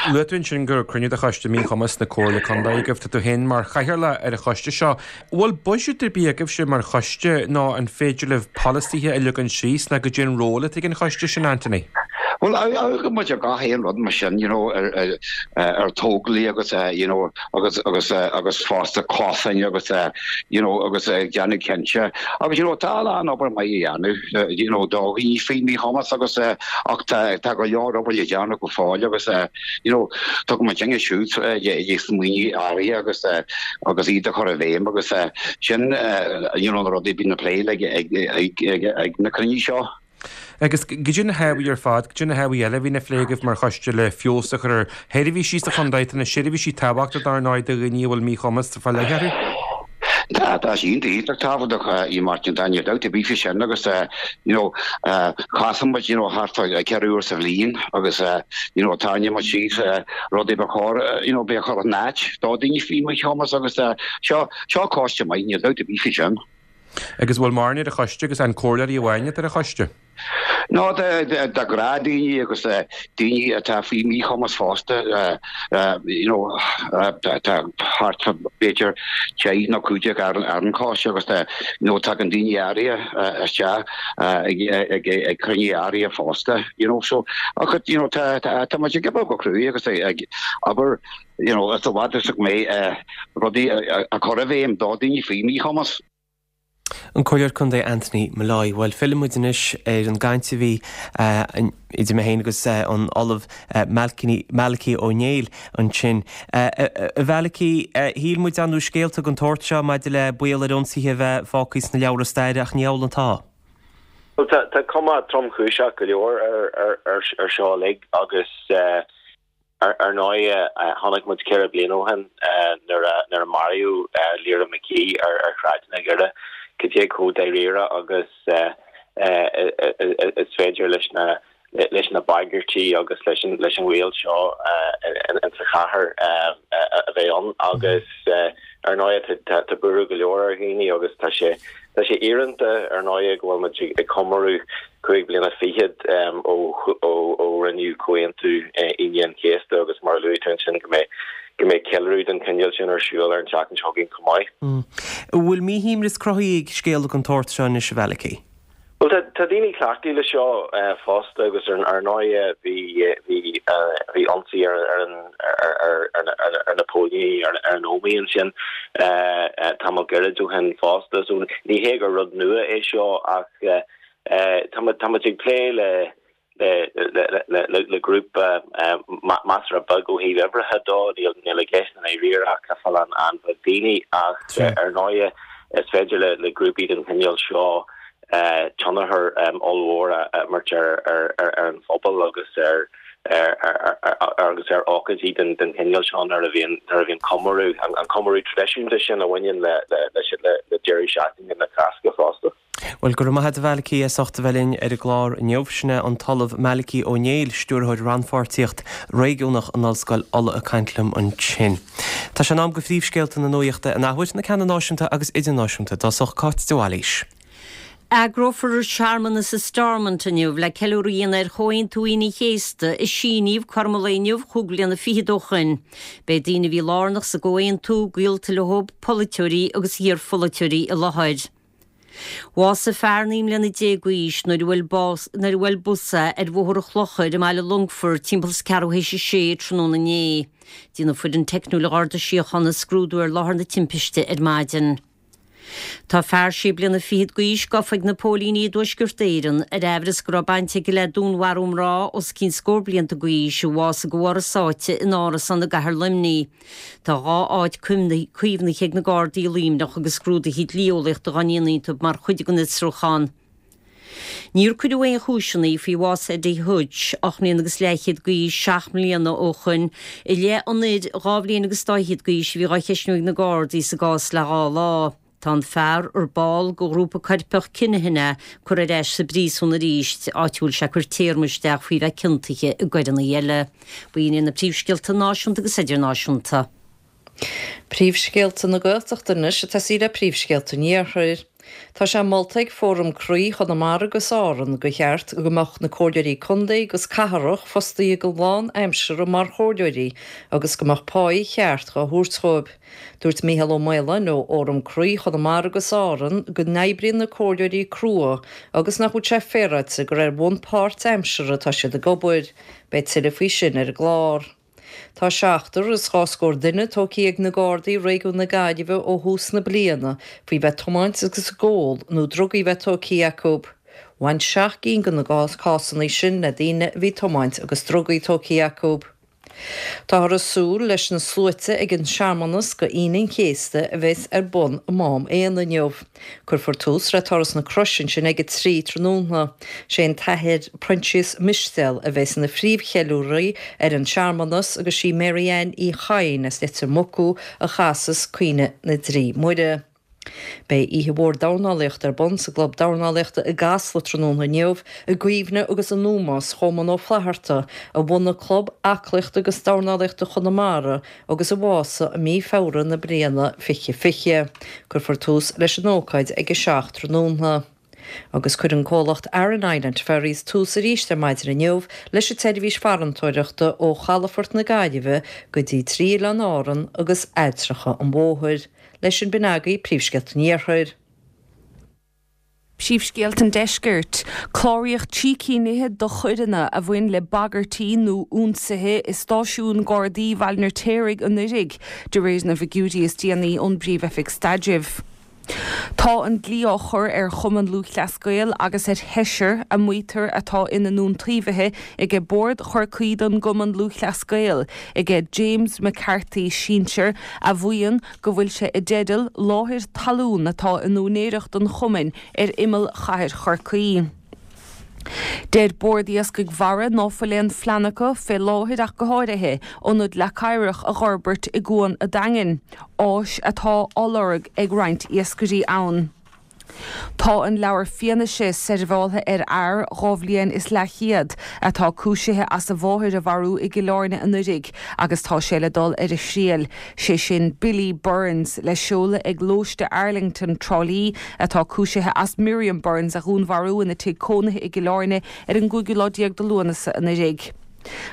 Speaker 10: Luaigh tú ansin gur cruinniú de choiste míchumas na Comhairle Contae agaibh. Tá tú féin mar chathaoirleach ar an choiste seo. Bhfuil buiséad ar bith agaibhse mar choiste nó an féidir libh polasaithe a leagan síos nó goidé an ról atá ag an choiste sin, Anthony?
Speaker 9: Well, go muid ar gach aon rud mar sin you know ar ar tógálaí agus you know agus agus agus fosta cosáin agus you know agus déanamh cinnte agus you know tá an obair maith á dhéanamh you know do dhaoine faoi mhíchumas agus ach tá tá go leor obair le déanamh go fóill agus you know tugann muid inge siúd smaointe áirithe agus agus iad a chur i bhfeidhm agus sin you know na rudaí a bhíonn á bplé ag ag ag ag na cruinnithe seo.
Speaker 10: Agus goidé na hábhair ar fad, goidé na hábhair eile a bhíonn á phlé agaibh mar choiste le feabhas a chur ar sheirbhísí sa chontae? Tá na seirbhísí tábhachtach dar ndóigh do dhaoine a bhfuil míchumas fá leith orthu.
Speaker 9: Tá tá sé iontach tábhachtach, a Mháirtín, tá níl dabht ar bith faoi sin agus you know casann muid you know thart fá ceithre uair sa bhliain agus you know tarraingíonn muid síos rudaí ba chóir you know bheith a chur in áit do dhaoine faoi mhíchumas agus seo seo coiste maith, níl dabht ar bith faoi sin.
Speaker 10: Agus bhfuil mórán ar an choiste agus an comhairleoirí amháin atá ar an choiste?
Speaker 9: No de de gnáthdhaoine agus daoine atá faoi mhíchumas fosta you know tá thart b'fhéidir deich nó cúig déag ar an choiste agus you know tagann daoine áirithe isteach ag ag ag cruinnithe áirithe fosta you know so ach you know tá tá muid ag obair go cruaidh agus ag obair you know is i bhfad is go mbeidh rudaí a chur i bhfeidhm do daoine faoi mhíchumas.
Speaker 1: An Comhairleoir Contae Anthony Molloy. Bhuel, fillfidh muid anois ar an gcaint a bhí idir mé féin agus an Ollamh Malachy Ó Néill ansin. A Mhalachy, shíl muid an raibh scéalta den tsórt seo maidir le baol ar ionsaithe a bheith fágtha sna leabhra staire ach ní hamhlaidh atá.
Speaker 8: Bhuel, tá cuma tromchúiseach go leor ar seo uilig agus Ar ndóigh, chonaic muid ceithre bliana ó shin nuair a maraíodh Lyra McKee ar shráideanna Dhoire cad é chomh dáiríre agus is féidir leis na leis na bagairtí agus leis an leis an bhaol seo sa chathair a bheith ann agus ar ndóigh tá buaireamh go leor ar dhaoine agus tá sé Tá sé íorónta ar ndóigh go bhfuil muid ag comóradh cúig bliana fichead ó rinneadh Comhaontú Aoine an Chéasta agus mar a luaigh tú ansin go mbeidh go mbeidh ceiliúradh den chineál sin ar siúl ar an tseachtain seo chugainn chomh maith.
Speaker 1: An bhfuil míshuaimhneas cruthaithe ag scéal den tsórt seo anois, a Mhalachy?
Speaker 8: Bhuel, tá tá daoine cleachtaithe le seo fosta agus ar ar ndóigh bhí bhí bhí ionsaí ar ar an ar ar ar na póilíní ar ar an Ómaigh ansin tamall gairid ó shin fosta. So ní hé gur rud nua é seo ach tá muid tá muid ag plé le le grúpa measartha beag ó thaobh uimhreacha dó, níl i gceist i ndáiríre ach cúpla an-bheag daoine ach ar ndóigh is féidir le grúpaí den chineál seo tionchar ollmhór a imirt ar an phobal agus ar agus ar ócáidí den chineál seo nuair a bhíonn nuair a bhíonn comóradh, an comóradh traidisiúnta sin a bhaineann le le deireadh seachtaine na Cásca fosta.
Speaker 1: Bhuel, go raibh maith agat a Mhalachy as ucht a bheith linn ar an gclár inniu. Sin é an tOllamh Malachy Ó Néill, Stiúrthóir Rannpháirtíocht Réigiúnach in Ollscoil Uladh ag caint liom ansin. Tá sé in am do phríomhscéalta na nuachta an athuair, na ceanna náisiúnta agus idirnáisiúnta. I dtosach Cáit de Bhailís.
Speaker 2: Eagrófar searmanas i Stormont inniu le ceiliúradh a dhéanamh ar Chomhaontú Aoine an Chéasta a síníodh cothrom an lae inniu chúig bliana fichead ó shoin. Beidh daoine a bhí lárnach sa gcomhaontú, gaolta leo, polaiteoirí agus iarpholaiteoirí i láthair. Bhásaigh fear naoi mbliana déag d'aois nuair a bhuail bás nuair a bhuail bus é ar Bhóthar an Chlochair i mBaile Longfoirt timpeall is ceathrú théis a sé tráthnóna inné. Déanfaidh foireann teicniúil an Gharda Síochána scrúdú ar láthair na timpiste ar maidin. Tá fear sé bliana fichead d'aois gafa ag na póilíní i dTuaisceart Éireann ar aimhreas go raibh baint aige le dúnmharú mná os cionn scór blianta d'aois a bhásaigh de bharr a sáite in árasán i gcathair Luimnigh. Tá dhá áit caomhnaithe ag na Gardaí i Luimneach agus scrúduithe dlí-eolaíochta dhá ndéanamh iontu mar chuid den fhiosrúchán. Níor cuireadh aon chúiseanna faoi bhás Eddie Hutch, ocht mbliana agus leathchéad d'aois, seacht mbliana ó shoin, i leith an fhir dhá bhliain agus dá fhichead d'aois a bhí dhá cheistniú ag na Gardaí sa gcás le dhá lá. Tá an fear, ar ball de ghrúpa coirpeach Kinahan é, curtha ar ais sa bpríosún arís, áit a bhfuil sé ag cur téarma isteach faoi bheith ciontaithe i gcoireanna eile. B'in iad na príomhscéalta náisiúnta agus idirnáisiúnta.
Speaker 3: Príomhscéalta na Gaeltachta anois ag tosaí le príomhscéalta an Iarthair. Tá sé molta ag Fóram Croí Chonamara agus Árann gur cheart go mbeadh na comhairleoirí contae agus cathrach fostaithe go lánaimseartha mar chomhairleoirí agus go mbeadh páí cheart dhá thabhairt dhóibh. Dúirt Mícheál Ó Maoláin ó Fhóram Croí Chonamara agus Árann go n-oibríonn na comhairleoirí crua agus nach bhfuil sé féaráilte gur ar bhonn páirtaimseartha atá siad ag obair. Beidh tuilleadh faoi sin ar an gclár. Tá seachtar is dhá scór duine tógtha ag na Gardaí i réigiún na Gaillimhe ó thús na bliana faoi bheith tiomáint agus ag ól nó drugaí bheith tógtha acu. Bhain seacht gcinn de na cásanna sin le daoine a bhí tiomáint agus drugaí tógtha acu. Táthar ag súil leis na sluaite ag an searmanas go Aoine an Chéasta a bheas ar bun i Mám Éanna inniu. Cuirfear tús le Turas na Croise ansin ag a trí tráthnóna. Sé an tAthair Proinsias Mistéil a bheas ina phríomhcheiliúraí ar an searmanas agus sí Mary Ann Uí Chadhain as Leitir Mucú a chasfas Caoineadh na dTrí Muire. Beidh oíche mhór dornálaíochta ar bun sa gClub Dornálaíochta i gCasla tráthnóna inniu i gcuimhne agus in ómós Choman Ó Flatharta, a bhunaigh Club Aclaíochta agus Dornálaíochta Chonamara agus a bhásaigh i mí Feabhra na bliana fiche fiche. Cuirfear tús leis an ócáid ag a seacht tráthnóna. Agus cuireann comhlacht Aran Island Ferries tús arís ar maidin inniu leis an tseirbhís farantóireachta ó chalafort na Gaillimhe go dtí trí oileán Árann agus Ailltreacha an Mhothair. Leis sin b'in agaibh príomhscéalta an Iarthair.
Speaker 4: Príomhscéalta an Deiscirt. Cláraíodh trí cinn fhichead de choireanna a bhain le bagairtí nó ionsaithe i stáisiún Gardaí Bhaile an Fheirtéaraigh anuraidh, de réir na bhfigiúirí is déanaí ón bPríomh-Oifig Staidrimh. Tá an dlí á chur ar Chumann Lúthchleas Gael agus ar sheisear a maítear atá ina n-iontaobhaithe aige Bord Chorcaí don gCumann Lúthchleas Gael, aige James McCarthy sinsear a mhaíonn go bhfuil sé i dteideal láthair talún atá in úinéireacht an chumainn ar imeall chathair Chorcaí. Deir Bord Iascaigh Mhara ná fuil aon phlean acu, fé láthair ach go háirithe, ionad leac oighreach a dh'fhorbairt i gCuan a' Daingin, áis atá á lorg ag roinnt iascairí ann. Tá an leabhar fianaise seirbheáltha ar fhear dhá bhliain is leathchéad atá cúisithe as a mháthair a mharú i gCill Airne anuraidh agus tá sé le dul ar a thriail, sé sin Billy Burns le seoladh ag Lóiste Arlington, Trá Lí, atá cúisithe as Miriam Burns a dhúnmharú ina tigh cónaithe i gCill Airne ar an gcúigiú lá déag de Lúnasa anuraidh.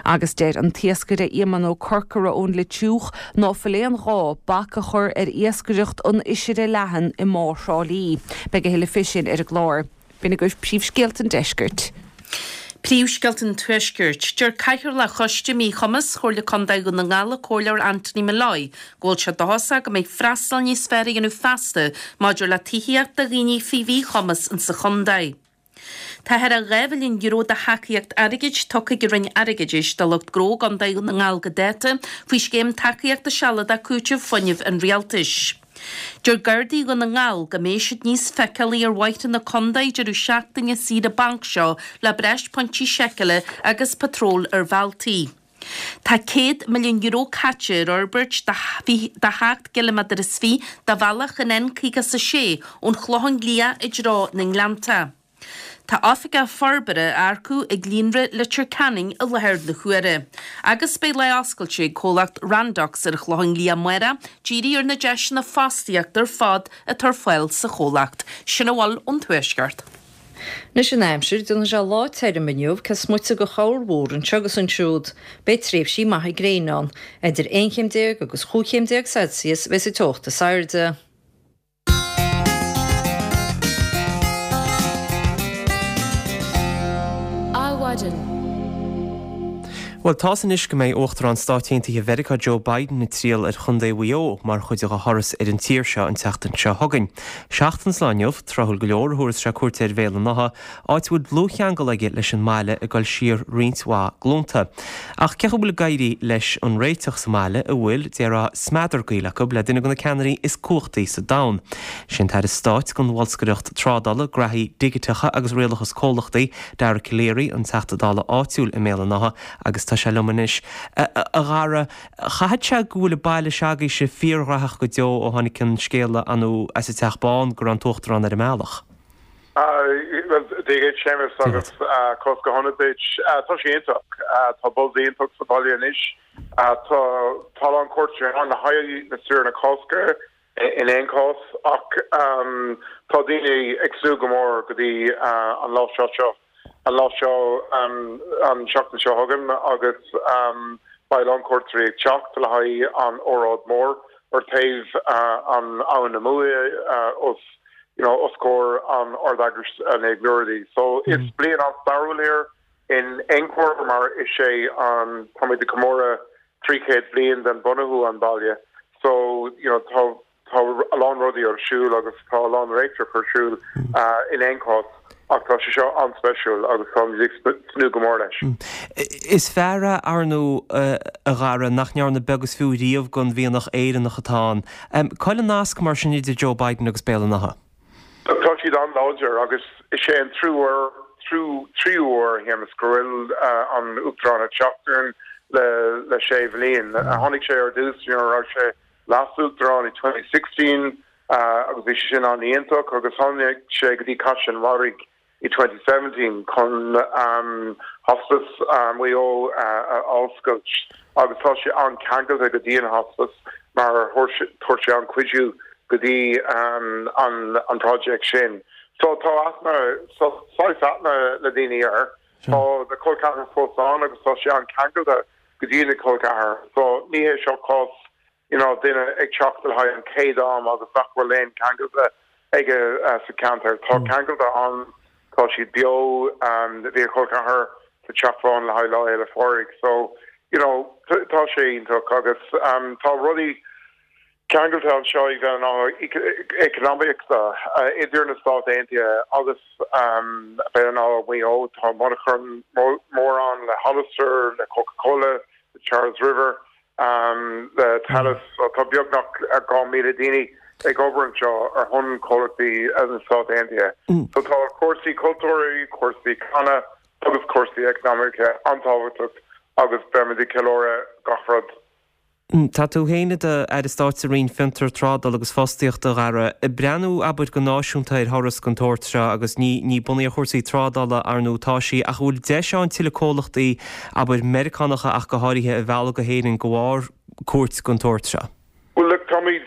Speaker 4: Agus deir an t-iascaire Éamonn Ó Corcora ón Leitriúch ná fuil aon ghá bac a chur ar iascaireacht an oisire leathan i mBá Thrá Lí. Beidh a thuilleadh fé sin ar an gclár. B'in agaibh príomhscéalta an deiscirt.
Speaker 5: Príomhscéalta an Tuaiscirt. Deir Cathaoirleach Choiste Míchumais Chomhairle Contae Dhún na nGall, an Comhairleoir Anthony Molloy, go bhfuil sé dóchasach go mbeidh freastal níos fearr á dhéanamh feasta maidir le tithíocht do dhaoine faoi mhíchumas insa chontae. Tá thar a dhá mhilliún euro de thacaíocht airgid tugtha ag an Roinn Airgeadais do lucht gnó i gContae Dhún na nGall go dáta faoi Scéim Tacaíochta Sealadach Cúitimh Fuinnimh an Rialtais. Deir Gardaí Dhún na nGall go mbeidh siad níos feiceálaí ar bhóithre na contae deireadh seachtaine saoire bainc seo le breis pointí seiceála agus patróil ar bhealtaí. Tá céad milliún euro caite ar fhorbairt de sheacht gciliméadar is fiche de bhealach an N caoga is a sé ón Chlochán Liath i dtreo na nGleannta. Tá oifigeach forbartha á earcú ag Líonra Leitir Ceanainn i láthair na huaire. Agus beidh lá oscailte ag comhlacht Randox ar an Chlochán Liath amárach, dírithe ar na deiseanna fostaíochta ar fad atá ar fáil sa chomhlacht. Sin a bhfuil ón Tuaisceart.
Speaker 3: Anois an aimsir, déanfaidh sé lá tirim inniu, cé is moite de chorrmhúr anseo agus ansiúd. Beidh tréimhsí maithe gréine ann. Idir aon chéim déag agus chúig chéim déag Celsius a bheas an teocht is airde.
Speaker 1: Adhmhaidin. Bhuel, tá's anois go mbeidh Uachtarán Stáit Aontaithe Mheiriceá Joe Biden ag triall ar Chontae Mhaigh Eo mar chuid dá thuras ar an tír seo an tseachtain seo chugainn. Seachtain sa lá inniu, tráthúil go leor, a thabharfas sé cuairt ar Bhéal an Átha, áit a bhfuil dlúthcheangal aige leis an mbaile ag dul siar roinnt mhaith glúnta. Ach cé chaoi a bhfuil ag éirí leis an réiteach sa mbaile a bhfuil, déarfá, smeadar gaoil acu le duine de na ceannairí is cumhachtaí sa domhan? Sé an tAire Stáit don Bholscaireacht Trádála, Graithí Digiteacha agus Rialachas Comhlachtaí, Dara Calleary, an Teachta Dála áitiúil i mBéal an Átha agus tá sé liom anois. A Dhara, chaithfeadh sé go bhfuil an baile se'agaibhse fíorghnaitheach go deo ó tháinig an scéala anú as an Teach Bán go raibh an tUachtarán ar an mbealach.
Speaker 11: Bhuel, Dia dhuit, Séamus, agus cosc go hionad duit. Tá sé iontach. Tá buzz iontach sa bhaile anois. Tá tá a lán cuairteoirí ann le haghaidh na saoire na Cásca in aon chás ach tá daoine ag súil go mór go dtí an lá seo seo. an lá seo, an tseachtain seo chugainn agus beidh a lán cuairteoirí ag teacht le haghaidh an óráid mór ar taobh an Abhainn na Muaidhe os you know os comhair an Ard-Eaglais Naomh Muireadhaigh. So is bliain an-stairiúil é in aon chor mar is é an táimid ag comóradh trí chéad bliain den bunú an baile so you know tá Tá a lán rudaí ar siúl agus tá a lán réiteach ar siúl in aon chás ach tá sé seo an-speisiúil agus táimid ag tnúth go mór leis.
Speaker 1: Is fear é, ar ndóigh, a Dhara, nach ndearna beag is fiú riamh den mhianach Éireannach atá ann. Cá bhfuil an nasc mar sin idir Joe Biden agus Béal an Átha?
Speaker 11: Tá siad an-láidir agus is é an triú uair, tríú uair, a Shéamus, go bhfuil an Uachtarán ag teacht orainn le sé bhliain. Tháinig sé ar dtús nuair a raibh sé Leas-Uachtarán i twenty sixteen agus bhí sé sin an-iontach agus tháinig sé go dtí Caiseal an Bharraigh i twenty seventeen chun Hospice Mhaigh Eo a oscailt agus tá sé an-ceangailte go dtí an Hospice mar thug sé an-chuidiú go dtí an project sin. So tá aithne saghas aithne le daoine air. Tá na col ceathrair fós ann agus tá sé an-ceangailte go dtí na col ceathrair. So ní hé seo cás you know, duine ag teacht le haghaidh an chéad am agus nach bhfuil aon ceangailte aige uh, sa ceantar. Tá mm. ceangailte ann tá siad beo um, bhí a chol ceathar sa Teach Bán le haghaidh Lá Fhéile Pádraig. So you know, tá sé iontach agus um, tá rudaí ceangailte anseo i bheith ná economíochta idir na Stáit Aontaithe agus um, bheith ná Maigh Eo tá monarcha mór ann le Hollister le Coca-Cola le Charles River um, le Thales mm. tá beagnach dhá míle daoine ag obair anseo ar shon comhlachtaí as na Stáit Aontaithe. Mm. So tá cúrsaí cultúrtha, cúrsaí canna agus cúrsaí eacnamaíocha an-tábhachtach agus beimid ag ceiliúradh gach rud.
Speaker 1: Tá tú féin i d'Aire Stáit sa Roinn Fiontar, Trádála agus Fostaíochta a Dhara. Ag breathnú abair go náisiúnta ar thuras den tsórt seo agus ní ní bunaithe ar chúrsaí trádála ar ndóigh atá sí ach bhfuil deis ann tuilleadh comhlachtaí abair Meiriceánacha ach go háirithe a mhealladh go hÉirinn de bharr cuairt den tsórt seo?
Speaker 11: Bhuel look táimid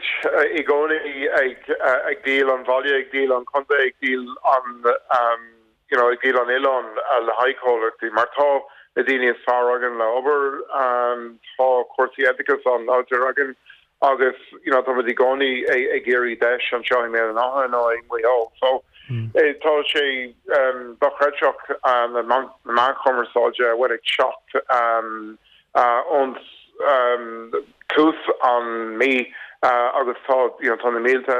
Speaker 11: i gcónaí ag ag díol an bhaile, ag díol an chontae, ag díol an um, you know, ag díol an oileán le haghaidh comhlachtaí mar tá na daoine is fearr againn le obair um, tá cúrsaí oideachais an-láidir againn agus you know, táimid i gcónaí ag iarraidh deis anseo i mBéal an Átha nó i Maigh Eo. So mm. eh, tá sé um, dochreidteach uh, na meáin chumarsáide bhfuil ag teacht um, uh, ón um, tús an mí uh, agus tá you know, tá na mílte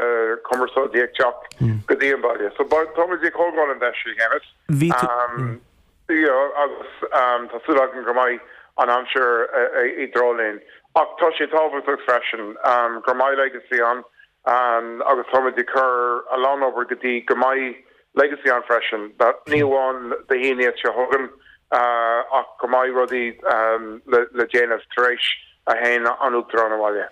Speaker 11: cumarsáidí ag teacht mm. go dtí an baile. So táimid ag tógáil an deis Shéamus. Um, you agus um, tá súil agam go mbeidh an aimsir i dtreo linn. Ach tá sé tábhachtach freisin um, go mbeidh legacy ann um, agus táimid ag cur a lán obair go dtí go mbeidh legacy ann freisin, ní amháin Dé hAoine seo chugainn uh, ach go mbeidh rudaí um, le, le déanamh tar éis a théann an Uachtarán abhaile.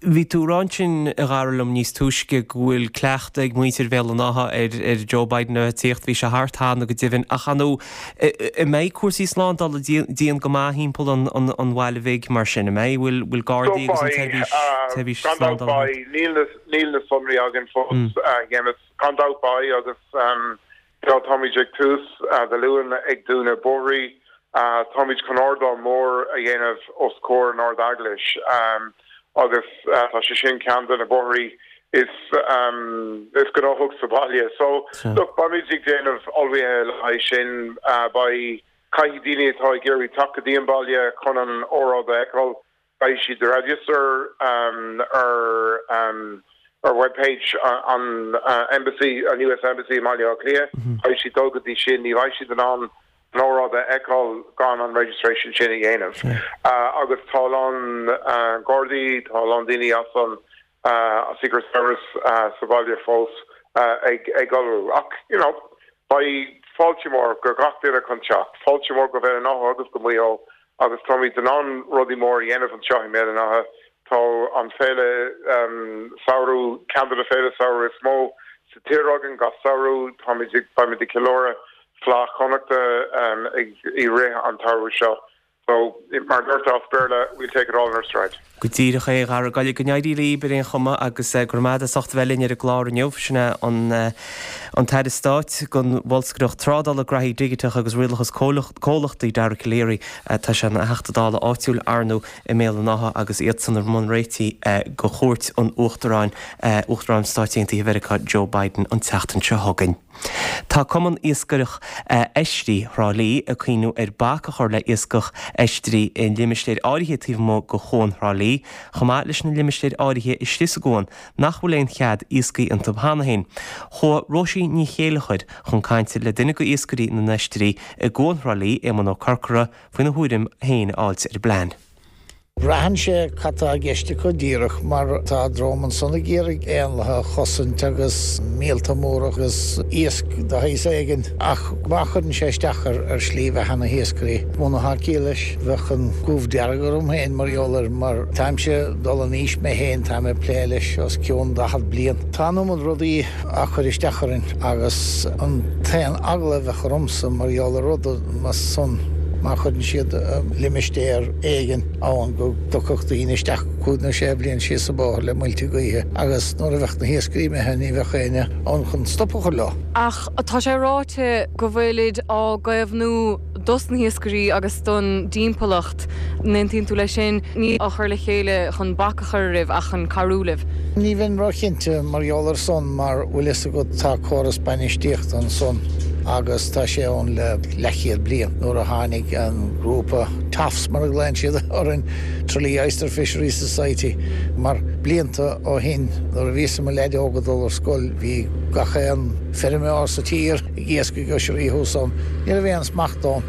Speaker 1: Bhí tú ag rá ansin a Dhara liom níos túisce go bhfuil cleachtadh ag muintir Bhéal an Átha ar ar Joe Biden a tíocht bhí sé thart cheana go deimhin ach an mbeidh cúrsaí slándála dian go maith thimpeall an an an bhaile bhig mar sin an mbeidh bhfuil bhfuil gardaí agus an tseirbhís tseirbhís slándála
Speaker 11: Níl níl na sonraí againn fós mm. gan dabht beidh agus um, táimid ag tús uh, Dé Luain ag dúnadh bóithre Uh, táimid chun ardán mór a dhéanamh os comhair an Ard-Eaglais um, agus uh, tá sé sin ceann de na bóithre is um, is gnóthach sa bhaile. So look beimid ag déanamh ullmhaithe le haghaidh sin uh, beidh caithfidh daoine atá ag iarraidh teacht go dtí an baile chun an óráid a fheiceáil beidh siad register um, ar um, ar webpage an uh, embassy an US Embassy i Mbaile Átha Cliath mm -hmm. Caithfidh siad dul go dtí sin ní bheidh siad in ann an óráid a fheiceáil gan an registration sin a dhéanamh. Uh, agus tá a lán uh, Gardaí tá a lán daoine as an uh, Secret Service uh, sa bhaile fós uh, ag ag ullmhú. Ach you know, beidh fáilte mór go gach duine chun teacht, fáilte mór go Béal an Átha agus go Maigh Eo agus táimid in ann rudaí mór a dhéanamh anseo i mBéal an Átha tá an féile um, samhradh ceann de na féile samhradh is mó sa tír againn gach samhradh táimid beimid ag ceiliúradh Fleadh Chonnachta um, ag i rith an tsamhraidh seo. So mar a deirtear as Béarla we'll take it all in our stride.
Speaker 1: Go díreach é a Dhara go n-éirí libh ar aon chuma agus go raibh maith agat as ucht a bheith linn ar an gclár inniu sin é an an tAire Stáit don Bholscaireacht Trádála Graithí Digiteacha agus Rialachas Comhlachtaí Dara Calleary tá sé ina Theachta Dála áitiúil ar ndóigh i mBéal an Átha agus iadsan i mbun réitigh do chuairt an Uachtaráin Uachtarán Stáit Aontaithe Mheiriceá Joe Biden an tseachtain seo chugainn. Tá Cumann Iascaireach Oisrí Thrá Lí ag cuimhniú ar bac a chur le iascach oisrí i limistéir áirithe taobh amuigh de Chuan Thrá Lí, chomh maith leis na limistéir áirithe istigh sa gcuan nach bhfuil aon chead iascaigh iontu cheana féin. Chuaigh Róisín Ní Chéilleachair chun cainte le duine de iascairí na n-oisrí i gCuan Thrá Lí, Éamonn Ó Corcora, faoina thuairim féin a fháilt ar an bplean.
Speaker 12: Braitheann sé cad tá i gceist acu díreach mar tá dream ansan ag iarraidh éanlaithe a chosaint agus míolta móra agus iasc de shaghas éigin ach má chuireann sé isteach ar ar shlí bheatha na hiascairí. Muna tá ciall leis, bheadh an goimh dearg orm féin mar gheall air mar táimse ag dul in aois mé féin, táim ag plé leis os cionn daichead bliain. Tá an iomad rudaí á chur isteach orainn agus an t-aon eagla a bheadh ormsa mar gheall ar rud mar san, má chuireann siad limistéar éigin ann go dtiocfadh daoine isteach cúig nó sé bliain síos an bóthar le muilte gaoithe agus nuair a bheadh na hiascairí imithe ní bheadh éinne ann chun stop a chur leo.
Speaker 4: Ach tá sé ráite go bhfuilid á gcaomhnú dos na hiascairí agus don dtimpeallacht. An aontaíonn tú leis sin? Ní á chur le chéile chun bac a chur oraibh ach chun cabhrú libh.
Speaker 12: Ní bheinn róchinnte mar gheall ar san mar bhfuil fhios agat tá córas bainistíochta ansan agus tá sé ann le leathchéad bliain. Nuair a tháinig an grúpa TOFS mar a ghlaonn siad orainn, Tralee Oyster Fisheries Society, mar blianta ó shin nuair a bhíos i mo leaid óg ag dul ar scoil bhí gach aon feirmeoir sa tír ag iascaigh oisrí thuas ann. Ní raibh aon smacht ann.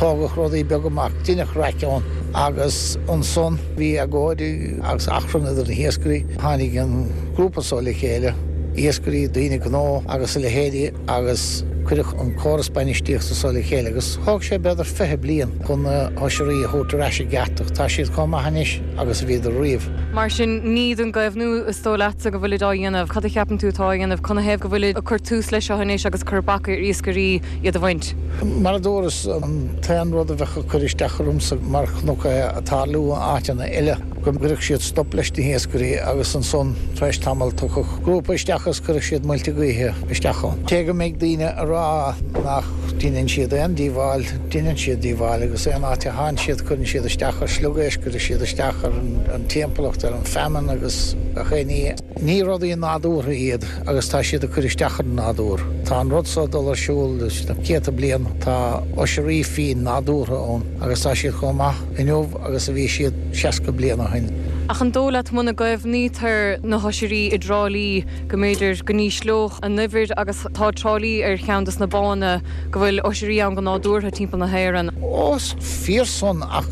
Speaker 12: Tógadh rudaí beaga amach, deineadh raic ann agus ansan bhí agóid agus achrann idir na hiascairí. Tháinig an grúpa so le chéile, iascairí, daoine gnó agus a leithéidí agus cuireadh an córas bainistíochta so le chéile agus thóg sé b'fhéidir fiche bliain chun na hoisrí a thabhairt ar ais i gceart ach tá siad chomh maith anois agus a bhíodar riamh.
Speaker 4: Mar sin, ní don gcaomhnú is dóigh leatsa go bhfuilid á dhéanamh. Cad a cheapann tú atá á dhéanamh? Canathaobh go bhfuilid ag cur tús leis seo anois agus cur bac ar iascairí iad a bhaint?
Speaker 12: Mar a dúras, an t-aon rud a bheadh ag cur isteach ormsa mar chonac é ag tarlú in áiteanna eile, go gcuirfeadh siad stop leis na hiascairí agus ansan tar éis tamaill tiocfadh grúpa isteach agus cuirfeadh siad muilte gaoithe isteach ann. Cé go mbeidh daoine a rá nach ndeineann siad aon díobháil, deineann siad díobháil agus aon áit a théann siad cuireann siad isteach ar sliogéisc, cuireann siad isteach ar an timpeallacht, ar an feamainn agus gach aon ní. Ní rudaí nádúrtha iad agus tá siad ag cur isteach ar an nádúr. Tá an rud seo ag dul ar siúl leis na céadta bliain. Tá oisrí fiáin nádúrtha ann agus tá siad chomh maith inniu agus a bhí siad seasca bliain ó shin.
Speaker 4: Ach an dóigh leat muna gcaomhnaítear na hoisrí i dTrá Lí go mb'fhéidir go n-ísleodh a n-uimhir agus tá Trá Lí ar cheann dos na bánna go bhfuil oisrí ann go nádúrtha timpeall na hÉireann.
Speaker 12: Ó, is fíor san ach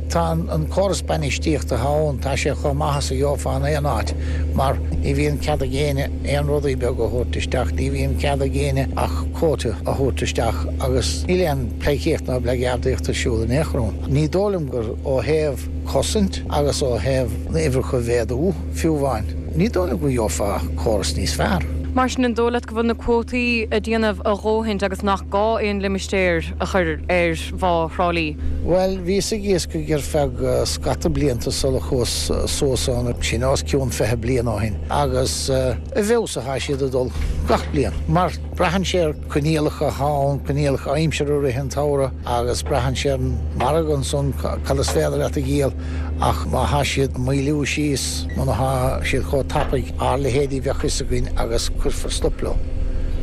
Speaker 12: tá an córas bainistíochta atá ann, tá sé chomh maith is a gheofá in aon áit mar ní bhíonn cead ag éinne aon rudaí beaga a thabhairt isteach, ní bhíonn cead ag éinne ach cuóta a thabhairt isteach agus níl aon pleidhcíocht ná bleageardaíocht ar siúl in aon chor ann. Ní dóigh liom gur ó thaobh cosaint agus ó thaobh na uimhreacha a mhéadú, fiú amháin, ní dóigh liom go gheofá córas níos fearr.
Speaker 4: Mar sin, an dóigh leat go bhfuil na cuótaí ag déanamh a dhóthaint agus nach gá aon limistéar a chur ar Bhá Thrá Lí?
Speaker 12: Bhuel, bhíos ag iascaigh ar feadh scata blianta sula chuas suas ann, sin os cionn fiche bliain ó shin, agus i bhfeabhas atá siad ag dul gach bliain, mar braitheann sé ar coinníollacha atá ann, coinníollacha aimsire i rith an tsamhraidh agus braitheann sé ar an margadh ansan cad is féidir leat a dhíol ach má thá siad ag moilliú síos, muna thá siad chomh tapaidh, ár leithéidí bheadh fhios againn agus cuirfear stop leo.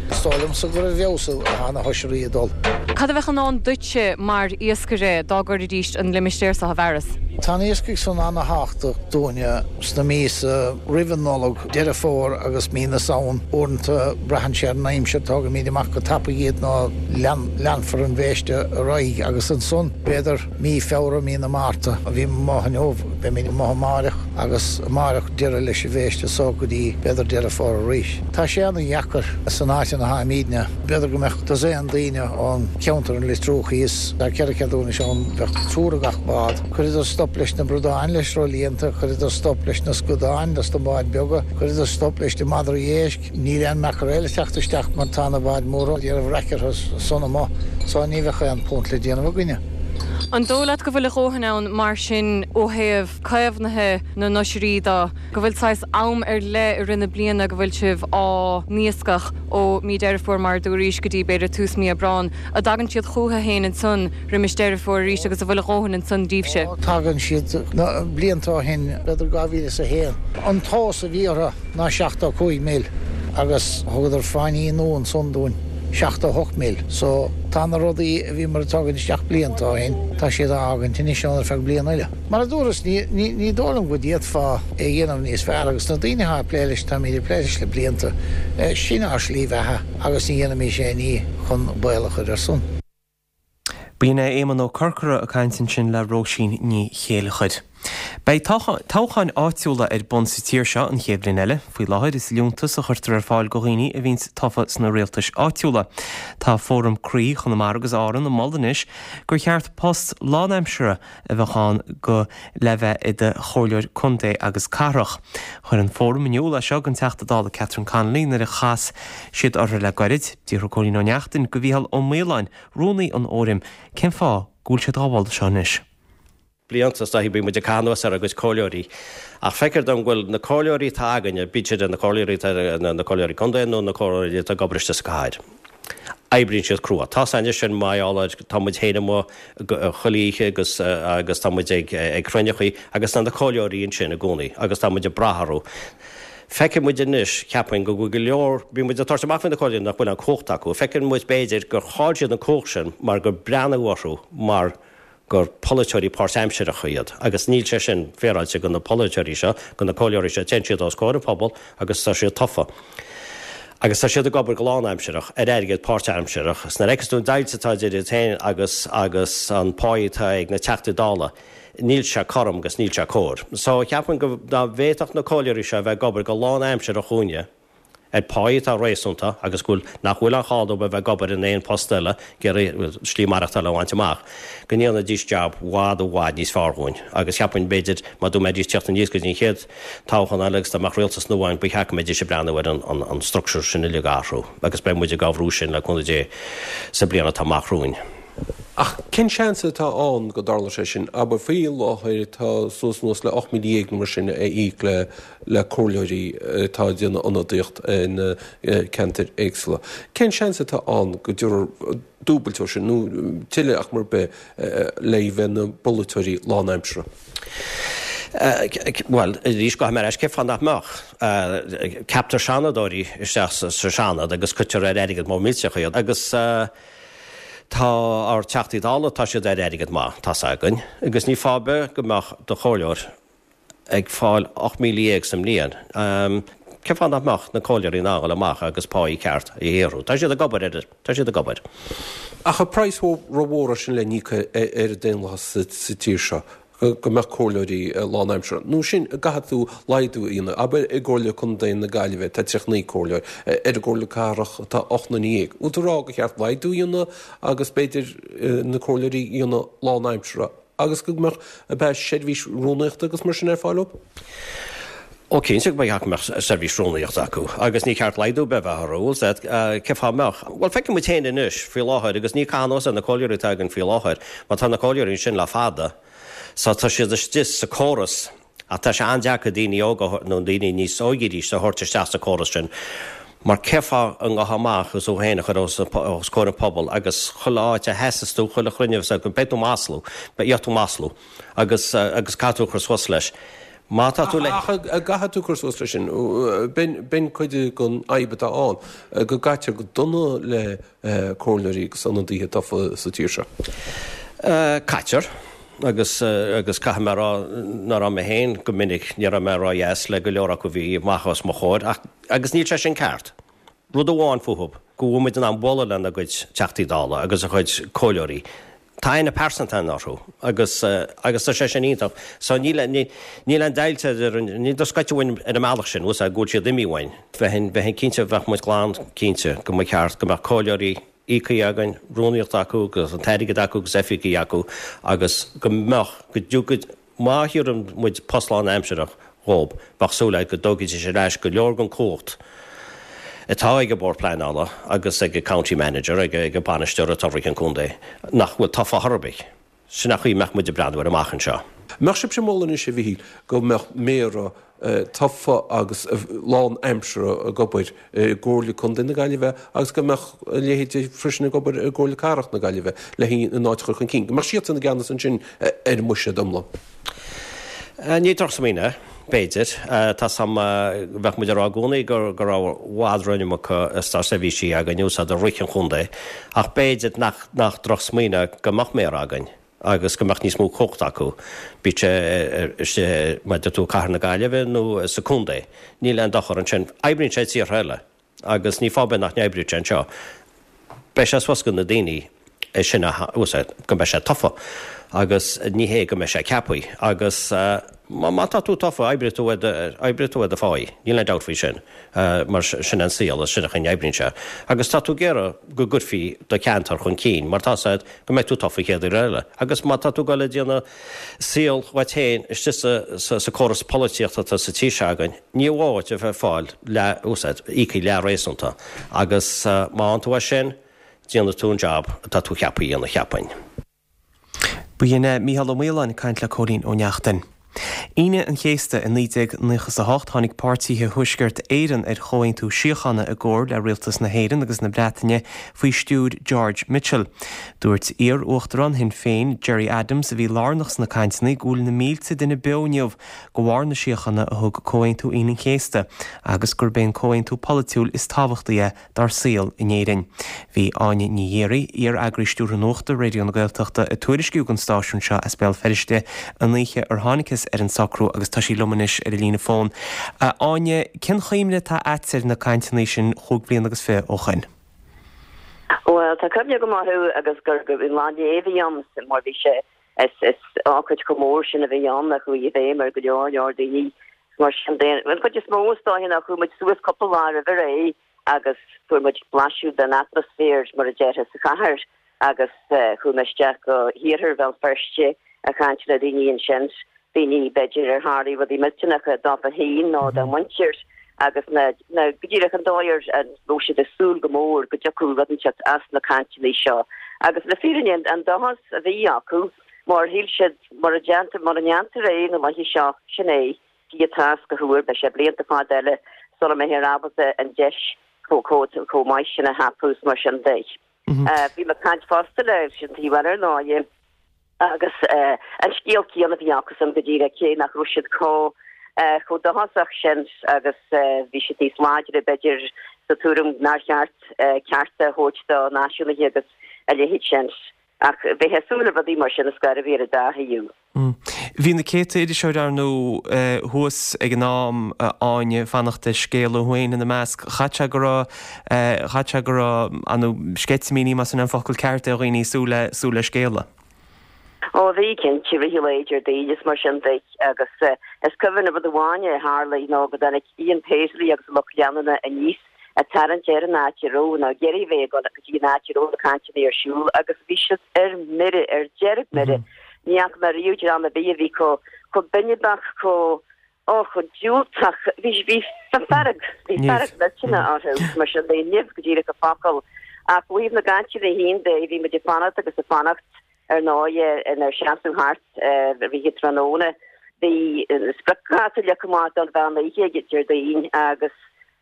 Speaker 12: Is dóigh liomsa gur i bhfeabhas atá na hoisrí ag dul.
Speaker 4: Cad a bheadh i ndán duitse mar iascaire dá gcuirfidís an limistéar seo i bhfearas?
Speaker 12: Tá an iascaigh san ana-thábhachtach dúinne sna míosa roimh an Nollaig, Deireadh Fómhair agus mí na Samhan. Uaireanta braitheann sé ar an aimsir, tógaimid amach go tapaidh iad nó leanfar an bhéiste ar aghaidh agus ansan b'fhéidir mí Feabhra, mí na Márta. Bhí amuigh inniu, beimid amuigh amáireach agus amáireach deireadh leis an bhéiste so go dtí b'fhéidir Deireadh Fómhair arís. Tá sé ana-dheacair san áit ina tháimídne. B'fhéidir go mbeadh dosaen daoine ón cheantar an Litrú thíos. Tá ceithre ceadúnais ann, bheadh triúr i gach bád. Chuireadar stop leis na bradáin leis ró-líonta, chuireadar stop leis na scadáin dos na báid beaga, chuireadar stop leis na madraí éisc. Níl aon mackerel ag teacht isteach mar tá na báid mhóra ag déanamh raic orthu san amuigh so ní bheadh aon phunt le déanamh againne.
Speaker 4: An dóigh leat go bhfuil a dhóthain ann mar sin ó thaobh caomhnaithe na n-oisrí de, go bhfuil saghas am ar leith i rith na bliana go bhfuil sibh á n-iascach ó mí Deireadh Fómhair mar a dúraís go dtí b'fhéidir tús mí Aibreán, an dtagann siad chúthu féin ansan roimis Deireadh Fómhair arís agus an bhfuil a dhóthain ansan daoibhse?
Speaker 12: Ó, tagann siad. Na blianta ó shin, b'fhéidir dhá mhíle is a haon, an tomhas a bhí orthu ná seachtó cúig mil agus thugadar fáinní nua ansan dúinn, seachtó hocht mil. So, tá na rudaí a bhíomar ag tógaint isteach blianta ó shin, tá siad á fhágaint anois ann ar feadh bliana eile. Mar a dúras, ní, ní, ní dóigh liom go d'fhéadfá é a dhéanamh níos fearr agus na daoine atá ag plé leis, táimid ag plé leis le blianta, sin ár slí bheatha agus ní dhéanfaimis aon ní chun baol a chur air san.
Speaker 1: B'in é Éamonn Ó Corcora ag caint ansin le Róisín Ní Chéilleachair. Beidh toghcháin áitiúla ar bun sa tír seo an chéad bhliain eile. Faoi láthair is liúntas a chuirtear ar fáil go dhaoine a bhíonns tofa sna rialtais áitiúla. Tá Fóram Croí Chonamara agus Árann ag moladh anois gur cheart post lánaimseartha a bheadh ann go le bheith i do chomhairleoir contae agus cathrach. Chuir an Fóram in iúl é seo don Teachta Dála Catherine Connolly nuair a chas siad orthu le gairid. D'fhiafraigh Cóilín Ó Neachtain go Mhícheál Ó Maoláin, rúnaí an Fhóraim, cén fáth go bhfuil siad á ghabháil seo anois.
Speaker 13: Blianta is dóichí bíonn muid ag caitheamh anuas ar ár gcuid comhairleoirí ach feictear dom go bhfuil na comhairleoirí atá againne, bíodh siad na comhairleoirí atá na comhairleoirí contae nó na comhairleoirí atá ag obair istigh sa chathair, oibríonn siad crua. Tá san sin mar gheall ar tá muid féin amuigh chuile oíche agus agus tá muid ag ag cruinneachaí agus tá na comhairleoirí ansin i gcónaí agus tá muid ag brath orthu. Feiceann muid anois, cheapfainn, go bhfuil go leor, bíonn muid ag tabhairt amach faoi na comhairleoirí nach bhfuil an cumhacht acu. Feiceann muid b'fhéidir gur chaill siad an cumhacht sin mar gur breathnaíodh orthu mar gur polaiteoirí páirtaimseartha iad agus níl sé sin féaráilte do na polaiteoirí seo, do na comhairleoirí seo, téann siad os comhair an phobail agus tá siad tofa. Agus tá siad ag obair go lánaimsearach ar airgead páirtaimsearach. Is nuair a fheiceas tú an deighilt atá idir iad féin agus agus an pá atá ag na Teachtaí Dála, níl sé cothrom agus níl sé cóir. So cheapfainn go dá bhféadfadh na comhairleoirí seo a bheith ag obair go lánaimsearach dhúinne, ar pháí atá réasúnta agus go bhfuil, nach bhfuil an chall dóibh a bheith ag obair in aon post eile, ag iarraidh slí maireachtála a bhaint amach, go ndéanfaidís jab i bhfad i bhfad níos fearr dhúinn. Agus cheapfainn, b'fhéidir, má dá mbeidís ag teacht aníos go dtí an chéad toghchán eile agus dá mbeadh rialtas nua ann, ba cheart go mbeidís ag breathnú ar an an an structure sin uilig a athrú. Agus beidh muid ag á bhrú sin, le cúnamh Dé, sa bliain atá amach romhainn.
Speaker 14: Ach cén seans atá ann go dtarlódh sé sin? Abair, faoi láthair tá suas anuas le ocht míle dhéag nó mar sin a íoc le le comhairleoirí atá ag déanamh ionadaíocht ina ceantair éagsúla. Cén seans atá ann go dtabharfar dúbailt ó sin, nó tuilleadh ach mar bith, le bheith ina bpolaiteoirí lánaimseartha?
Speaker 13: Bhuel, arís, gabhfaidh mé ar ais, cén fáth nach mbeadh? Ceaptar seanadóirí isteach sa Seanad agus cuirtear ar airgead mór millteach iad agus, Tá ár Teachtaí Dála, tá siad ar airgead maith, tá's againn, agus ní fáth ar bith go mbeadh do chomhairleoir ag fáil ocht míle dhéag sa mbliain. Cén fáth nach mbeadh na comhairleoirí in ann a dhul amach agus páí ceart a shaothrú? Tá siad ag obair ar, tá siad ag obair.
Speaker 14: Ach an praghas rómhór é sin le n-íoc ar an daonlathas sa tír seo. go mbeadh comhairleoirí lánaimseartha, nó sin, an gcaithfidh tú laghdú a dhéanamh. Abair i gComhairle Contae na Gaillimhe tá tríocha naoi comhairleoir, ar an gComhairle Cathrach tá ocht nduine dhéag. Bhfuil tú ag rá gur cheart laghdú a dhéanamh agus b'fhéidir na comhairleoirí a dhéanamh lánaimseartha agus go mbeadh beidh seirbhís rúnaíochta agus mar sin ar fáil dóibh?
Speaker 13: Ó cinnte go mbeadh go mbeadh seirbhís rúnaíochta acu agus ní ceart laghdú ar bith a bheith orthu, bhfuil 's agat, cén fáth a mbeadh? Bhuel feiceann muid féin anois faoi láthair agus ní caitheamh anuas ar na comhairleoirí atá againn faoi láthair mar tá na comhairleoirí ansin le fada so tá siad istigh sa córas ach tá sé an-deacair daoine óga nó daoine níos óige arís a thabhairt isteach sa córas sin mar cén fáth a ngabhfá amach agus thú féin a chur os comhair an phobail agus chuile áit a sheasas tú, chuile chruinniú, beidh tú maslú, beidh tú maslú agus agus caithfidh tú a chur suas leis.
Speaker 14: Má tá tú le. Ach an gcaithfidh tú cur suas leis sin? B'in cuid den fhadhb atá ann, go gcaitear go dona le comhairleoirí agus ionadaithe tofa sa tír seo.
Speaker 13: Caitear. Agus agus caithfidh mé a rá nach raibh mé féin go minic, ní raibh mé ródheas le go leor acu a bhí amach os mo chomhair ach agus níl sé sin ceart. Rud amháin fúthu, go bhfuil muid in ann bualadh lena gcuid Teachtaí Dála agus a gcuid comhairleoirí. Tá aithne pearsanta againn orthu agus agus tá sé sin iontach. So níl níl aon deighilt idir an níl tú scoite uainn ar an mbealach sin, bhfuil 's agat, go bhfuil siad imithe uainn. Bheinn bheinn cinnte bheadh muid glan cinnte go mba cheart go mbeadh comhairleoirí íoctha againn, rúnaíocht acu agus an t-airgead acu agus oifigí acu agus go mbeadh go dtiocfaidh má thabharann muid post lánaimsearach dhób bheadh súil agat go dtógfaidís ar ais go leor den chumhacht atá ag an Bord Pleanála agus ag an County Manager, ag an bainisteoir atá ag rith an chontae, nach bhfuil tofa chor ar bith. Sin an chaoi a mbeadh muid ag breathnú air amach anseo.
Speaker 14: Mbeadh sibhse ag moladh anois, a Mhichíl, go mbeadh méara tofa agus lán-aimseartha ag obair i gComhairle Contae na Gaillimhe agus go mbeadh a leithéid freisin ag obair i gComhairle Cathrach na Gaillimhe le an áit a chur chun cinn, go mbeadh siadsan i gceannas ansin ar an mbuiséad iomlán?
Speaker 13: Ní drochsmaoineamh é, b'fhéidir. Tá 's a'm, bheadh muid ag rá i gcónaí go go raibh i bhfad róiomarca státseirbhísigh againn úsáid i rith an chontae, ach b'fhéidir nach nach drochsmaoineamh go mbeadh méara againn agus go mbeadh níos mó cumhachta acu, bíodh sé istigh, mar a deir tú, cathair na Gaillimhe nó sa chontae. Níl aon dochar ansin. Oibríonn sé i tíortha eile agus ní fáth ar bith nach n-oibreodh sé anseo. Beidh sé suas go na daoine é sin a úsáid, go mbeidh sé tofa agus ní hé go mbeidh sé ceaptha agus má tá tú tofa oibreoidh tú ar do, oibreoidh tú ar do pháí, níl aon dabht faoi sin mar sin an saol is sin an chaoi a n-oibríonn sé agus tá tú ag iarraidh go gcuirfí do cheantar chun cinn mar tá 's agat go mbeidh tú tofa an chéad uair eile agus má tá tú ag dul ag déanamh saol dhuit féin istigh sa, sa córas polaitíochta atá sa tír seo againn, ní mhaith duit a bheith ag fáil leath, úsáid, íoctha leath-réasúnta agus má fhaigheann tú é sin, déanfaidh tú an jab atá tú ceaptha a dhéanamh, cheapfainn.
Speaker 1: B'in é Mícheál Ó Maoláin ag caint le Cóilín Ó Neachtain. Aoine an Chéasta i naoi déag nócha is a hocht tháinig páirtithe Thuaisceart Éireann ar chomhaontú síochána i gcomhar le rialtas na hÉireann agus na Breataine faoi stiúir George Mitchell. Dúirt iar-uachtarán Shinn Féin, Gerry Adams, a bhí lárnach sna cainteanna go bhfuil na mílte duine beo inniu de bharr na síochána a thug Comhaontú Aoine an Chéasta agus gurb é an comhaontú polaitiúil is tábhachtaí é dár saol in Éirinn. Bhí Áine Ní Ghéaraigh, iar-eagraí stiúrtha nuachta Raidió na Gaeltachta ag tuairisciú don stáisiún seo as Béal Feirste an oíche ar thángthas ar an socrú agus tá sí liom anois ar an líne fóin. A Áine, cén chuimhne atá agat ar na cainteanna sin chúig bliana agus fiche ó shoin?
Speaker 15: Bhuel, tá cuimhne agam orthu agus gur gur lá inné a bhí ann mar bhí sé is is ócáid chomh mór sin a bhí ann a chuaigh i bhfeidhm ar go leor leor daoine mar sin de. An chuid is mó is dóiche ná chuaigh muid suas cúpla lá roimh ré agus fuair muid blaiseadh den atmaisféar mar a déarfá sa chathair agus chuaigh mé isteach go hiarthar Bhéal Feirste ag caint le daoine ansin, daoine b'fhéidir ar tharlaigh rudaí millteanacha dófa féin nó dá muintir agus na na go díreach an dóigh ar a raibh siad ag súil go mór go dtiocfadh rud inteacht as na cainteanna seo. Agus le fírinne an dóchas a bhí acu mar shíl siad mura déantar mura ndéantar é na laethe seo, sin é, Dia atá is go huair, beidh sé blianta fada eile sula mbeifear ábalta an deis chomh maith sin a thapú is mar sin de. Bhí mé ag caint fosta leis an taobh eile ar ndóigh agus an scéal céanna a bhí acusan go díreach cé nach raibh siad chomh chomh dóchasach sin agus bhí siad níos láidre b'fhéidir sa tuairim nár cheart cearta a thabhairt do náisiúnaithe agus a leithéid sin. Ach bheifeá ag súil le rudaí mar sin ar scor ar bith ar an dá thaobh.
Speaker 1: Bhí na céadta iriseoir ar ndóigh thuas ag an am, a Áine, ag fanacht ar scéala, thú féin ina measc. Chaithfeadh sé go raibh, chaithfeadh sé go raibh, ar ndóigh, sceitimíní, más in é an focal ceart é, ar dhaoine ag súil le, súil le scéala.
Speaker 15: Ó bhí, cinnte, i rith an lae Déardaoin is mar sin de agus is cuimhin rud amháin a tharlaigh ná go dtáinig Ian Paisley agus a lucht leanúna aníos ag tarraingt ar an áit a raibh, nó ag iarraidh a bheith ag dul go dtí an áit a raibh na cainteanna ar siúl agus bhí siad ar mire, ar dearg-mhire. Ní fhaca mé riamh dream ar bith a bhí chomh, chomh binibeach, chomh, ó, chomh diúltach. Bhí, bhí fearg, bhí fearg mhillteanach orthu, mar sin de, nimh go díreach an focal. Ach ó thaobh na gcainteanna féin de, bhí muid ag fanacht agus ag fanacht, ar ndóigh, inár seasamh thart i rith an tráthnóna. Bhí spriocdháta leagtha amach don mheán oíche Déardaoin agus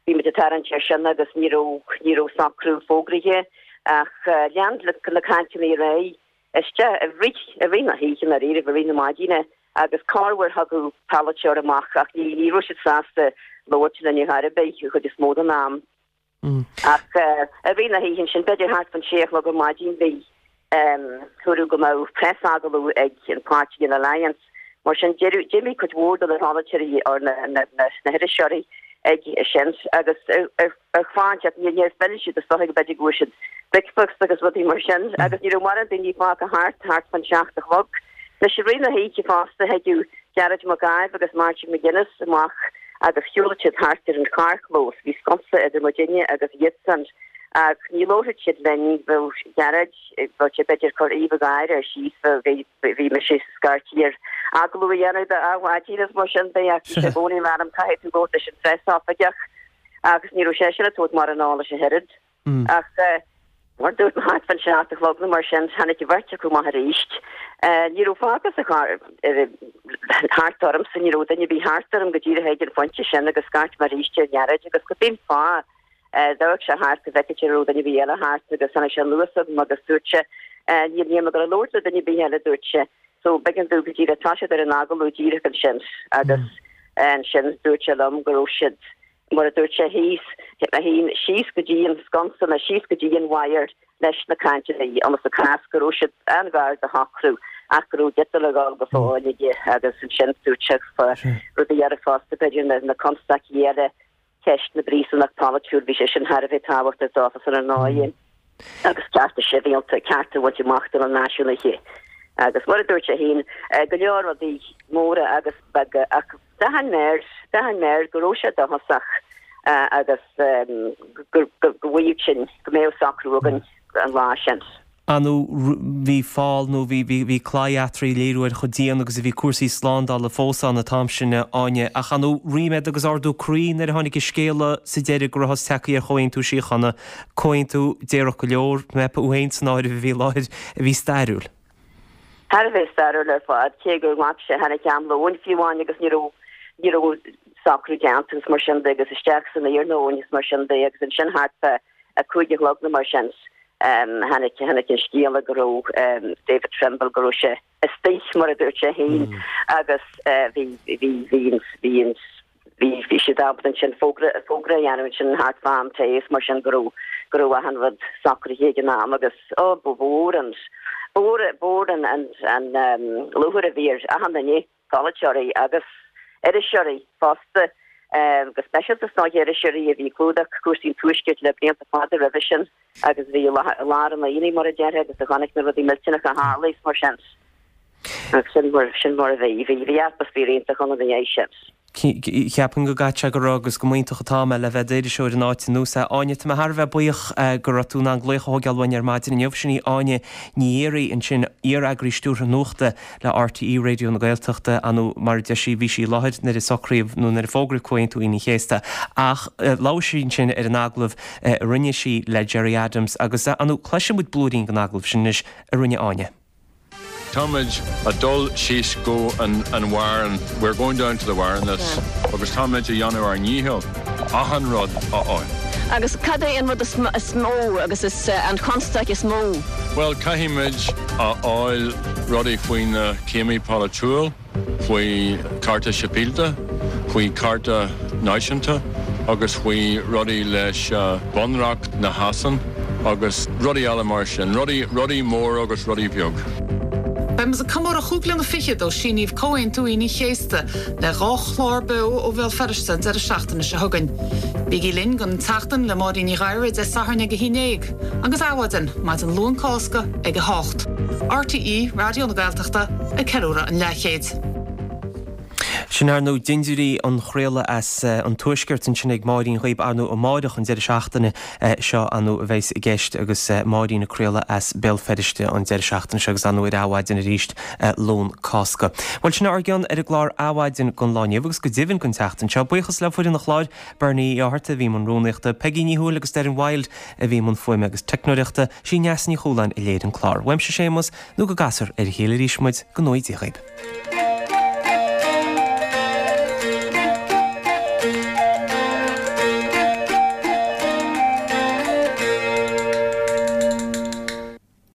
Speaker 15: Bhí muid ag tarraingt air sin agus ní raibh, ní raibh socrú fógraithe ach lean na cainteanna ar aghaidh isteach i rith, i rith na hoíche i ndáiríre, i rith na maidine agus corruair thagadh polaiteoir amach ach ní, ní raibh siad sásta labhairt linn ar chor ar bith an chuid is mó den am. Ach i rith na hoíche ansin, b'fhéidir thart fán sé a chlog ar maidin, bhí. Dúradh go mbeadh preasagallamh ag an pháirtí an Alliance. Mar sin d'imigh cuid mhór de na polaiteoirí or na hiriseoirí ag sin agus ar fán teacht níor phill siad is dócha go b'fhéidir go bhfuair siad bricfeasta agus rudaí mar sin agus ní raibh mórán daoine fágtha thart thart fán seacht a chlog. Anois i rith na hoíche fosta thagadh Gearóid Mac Ádhaimh agus Martin McGuinness amach agus shiúlfadh siad thart ar an charrchlós. Bhí sconsa idir muidinne agus iadsan. Ach ní labharfadh siad linn, bheadh Gearóid, bheadh sé b'fhéidir ag cur aoibh gháire air síos, bheadh, bhí mise scaití air agallamh a dhéanamh de Adhmhaidin is mar sin de ach bhí sé i gcónaí ag rá liom caithfidh tú labhairt leis an phreasoifigeach agus ní raibh seisean ag tabhairt mórán eolais ach oiread. Ach mar dúirt mé thart fán seacht a chlog nó mar sin tháinig an bheirt acu amach arís. Ní raibh fágtha sa charr thart ormsa, ní raibh duine ar bith thart orm go díreach ag an phointe sin agus scairt mé arís ar Ghearóid agus go b'in fáth D'amharc sé thart go bhfeicfeadh sé an raibh duine ar bith eile thart agus tháinig sé anuas chugam agus dúirt sé, Níl, níl mé ag dul a labhairt le duine ar bith eile, dúirt sé. So b'éigean domh go díreach toiseacht ar an agallamh díreach ansin agus ansin dúirt sé liom go raibh siad, mar a dúirt sé thíos, síos go dtí an sconsa nó síos go dtí an wire leis na cainteanna ionas a cás go raibh siad an-ghar do shocrú ach go raibh giota le dhul go fóill aige agus ansin dúirt sé fá rudaí eile fosta, b'fhéidir na, na constaicí eile Ceist na bpríosúnach polaitiúil, bhí sé sin thar a bheith tábhachtach dófasan ar ndóigh, agus cearta sibhialta, cearta a bhaint amach do na náisiúnaithe. Agus mar a dúirt sé féin, go leor rudaí móra agus beaga, ach d'aithin mé air, d'aithin mé air go raibh sé dóchasach agus go bhfaigheadh sin, go mbeadh socrú againn an lá sin.
Speaker 1: Ar ndóigh bhí fál nó bhí bhí claí eatarthu ag léiriú ar chomh dian agus a bhí cúrsaí slándála fós ann an t-am sin, a Áine. Ach ar ndóigh ríméad agus ardú croí nuair a tháinig an scéala sa deireadh go rabhthas tagtha ar chomhaontú síochána, comhaontú déarfadh go leor, mé féin san áireamh a bhí i láthair, a bhí stairiúil.
Speaker 15: thar a bheith stairiúil ar fad, cé gur ghlac sé, tháinig am lóin fiú amháin agus ní raibh, ní raibh socrú déanta agus mar sin de agus isteach san iarnóin agus mar sin de agus ansin thart fá a cúig a chlog nó mar sin tháinig, tháinig an scéala go raibh David Trimble, go raibh sé istigh mar a dúirt sé féin agus bhí, bhí, bhí an, bhí an, bhí, bhí siad ábalta ansin fógra, fógra a dhéanamh ansin thart fá am tae is mar sin go raibh, go raibh achan rud socraithe ag an am agus, ó, ba mhór an, ba mhór, ba mhór an, an, an lúcháir a bhí ar achan duine, polaiteoirí agus iriseoirí fosta, go speisialta is dóiche iriseoirí a bhí ag clúdach cúrsaí an Tuaiscirt le blianta fada roimhe sin agus a bhí i lár an aonaigh mar a déarfá agus a chonaic na rudaí millteanacha a tharla is mar sin. Agus sin mar, sin mar a bhí. Bhí, bhí atmaisféar iontach ann ina dhiaidh sin.
Speaker 1: Cheapfainn go gcaithfidh sé go raibh agus go mb'iontach an t-am é le bheith i d'iriseoir in áit ar nós é. Áine, tá mé thar a bheith buíoch go raibh tú in ann glaoch a thógáil uainn ar maidin inniu. Sin í Áine Ní Fhiarraigh ansin, iar-eagraí stiúrtha nuachta le RTÉ Raidió na Gaeltachta. Ar ndóigh, mar a deir sí, bhí sí i láthair nuair a socraíodh nó nuair a fógraíodh Comhaontú Aoine an Chéasta. Ach labhair sí ansin ar an agallamh a rinne sí le Gerry Adams agus, ar ndóigh, cloisfidh muid blúirín den agallamh sin anois a rinne Áine.
Speaker 16: Táimid ag dul síos go an an Warren, we're going down to the wire in this, agus táimid a dhéanamh ár ndícheall achan rud a fháil.
Speaker 15: Agus cad é an rud is mó agus is an chonstaic is mó?
Speaker 16: Bhuel, caithfimid a fháil rudaí faoi na céimí polaitiúil. faoi cearta sibhialta, faoi cearta náisiúnta agus faoi rudaí leis Bunreacht na Shasana agus rudaí eile mar sin, rudaí, rudaí mór agus rudaí beag.
Speaker 17: Beidh muid ag comóradh chúig bliana fichead ó síníodh Comhaontú Aoine an Chéasta le dhá chlár beo ó Bhéal Feirste an deireadh seachtaine seo chugainn. Bígí linn don tSeachtain le Máirín Ní Ghadhra Dé Sathairn ag a haon déag agus Adhmhaidin, maidin Luan Cásca ag a hocht. RTÉ Raidió na Gaeltachta ag ceiliúradh an leathchéid.
Speaker 1: Sin ar ndóigh dindiúirí an chraoladh as an Tuaisceart ansin ag Máirín dhaoib ar ndóigh amáireach an deireadh seachtaine seo ar ndóigh a bheas i gceist agus Máirín ag craoladh as Béal Feirste an deireadh seachtaine seo agus ar ndóigh ar Adhmhaidin arís Luan Cásca. Bhuel sin ár gcion ar an gclár Adhmhaidin don lá inniu agus go deimhin don tseachtain seo. Buíochas le foireann an chláir, Bernie Uí Fhátharta a bhí i mbun rúnaíochta, Peigí Ní Thuathail agus Doireann Wild a bhí i mbun fuaime agus teicneoireachta, sí Neasa Ní Chualáin a léirigh an clár. Uaimse Séamus nó go gcasfar ar a chéile arís muid, go ngnóthaí Dia dhaoib.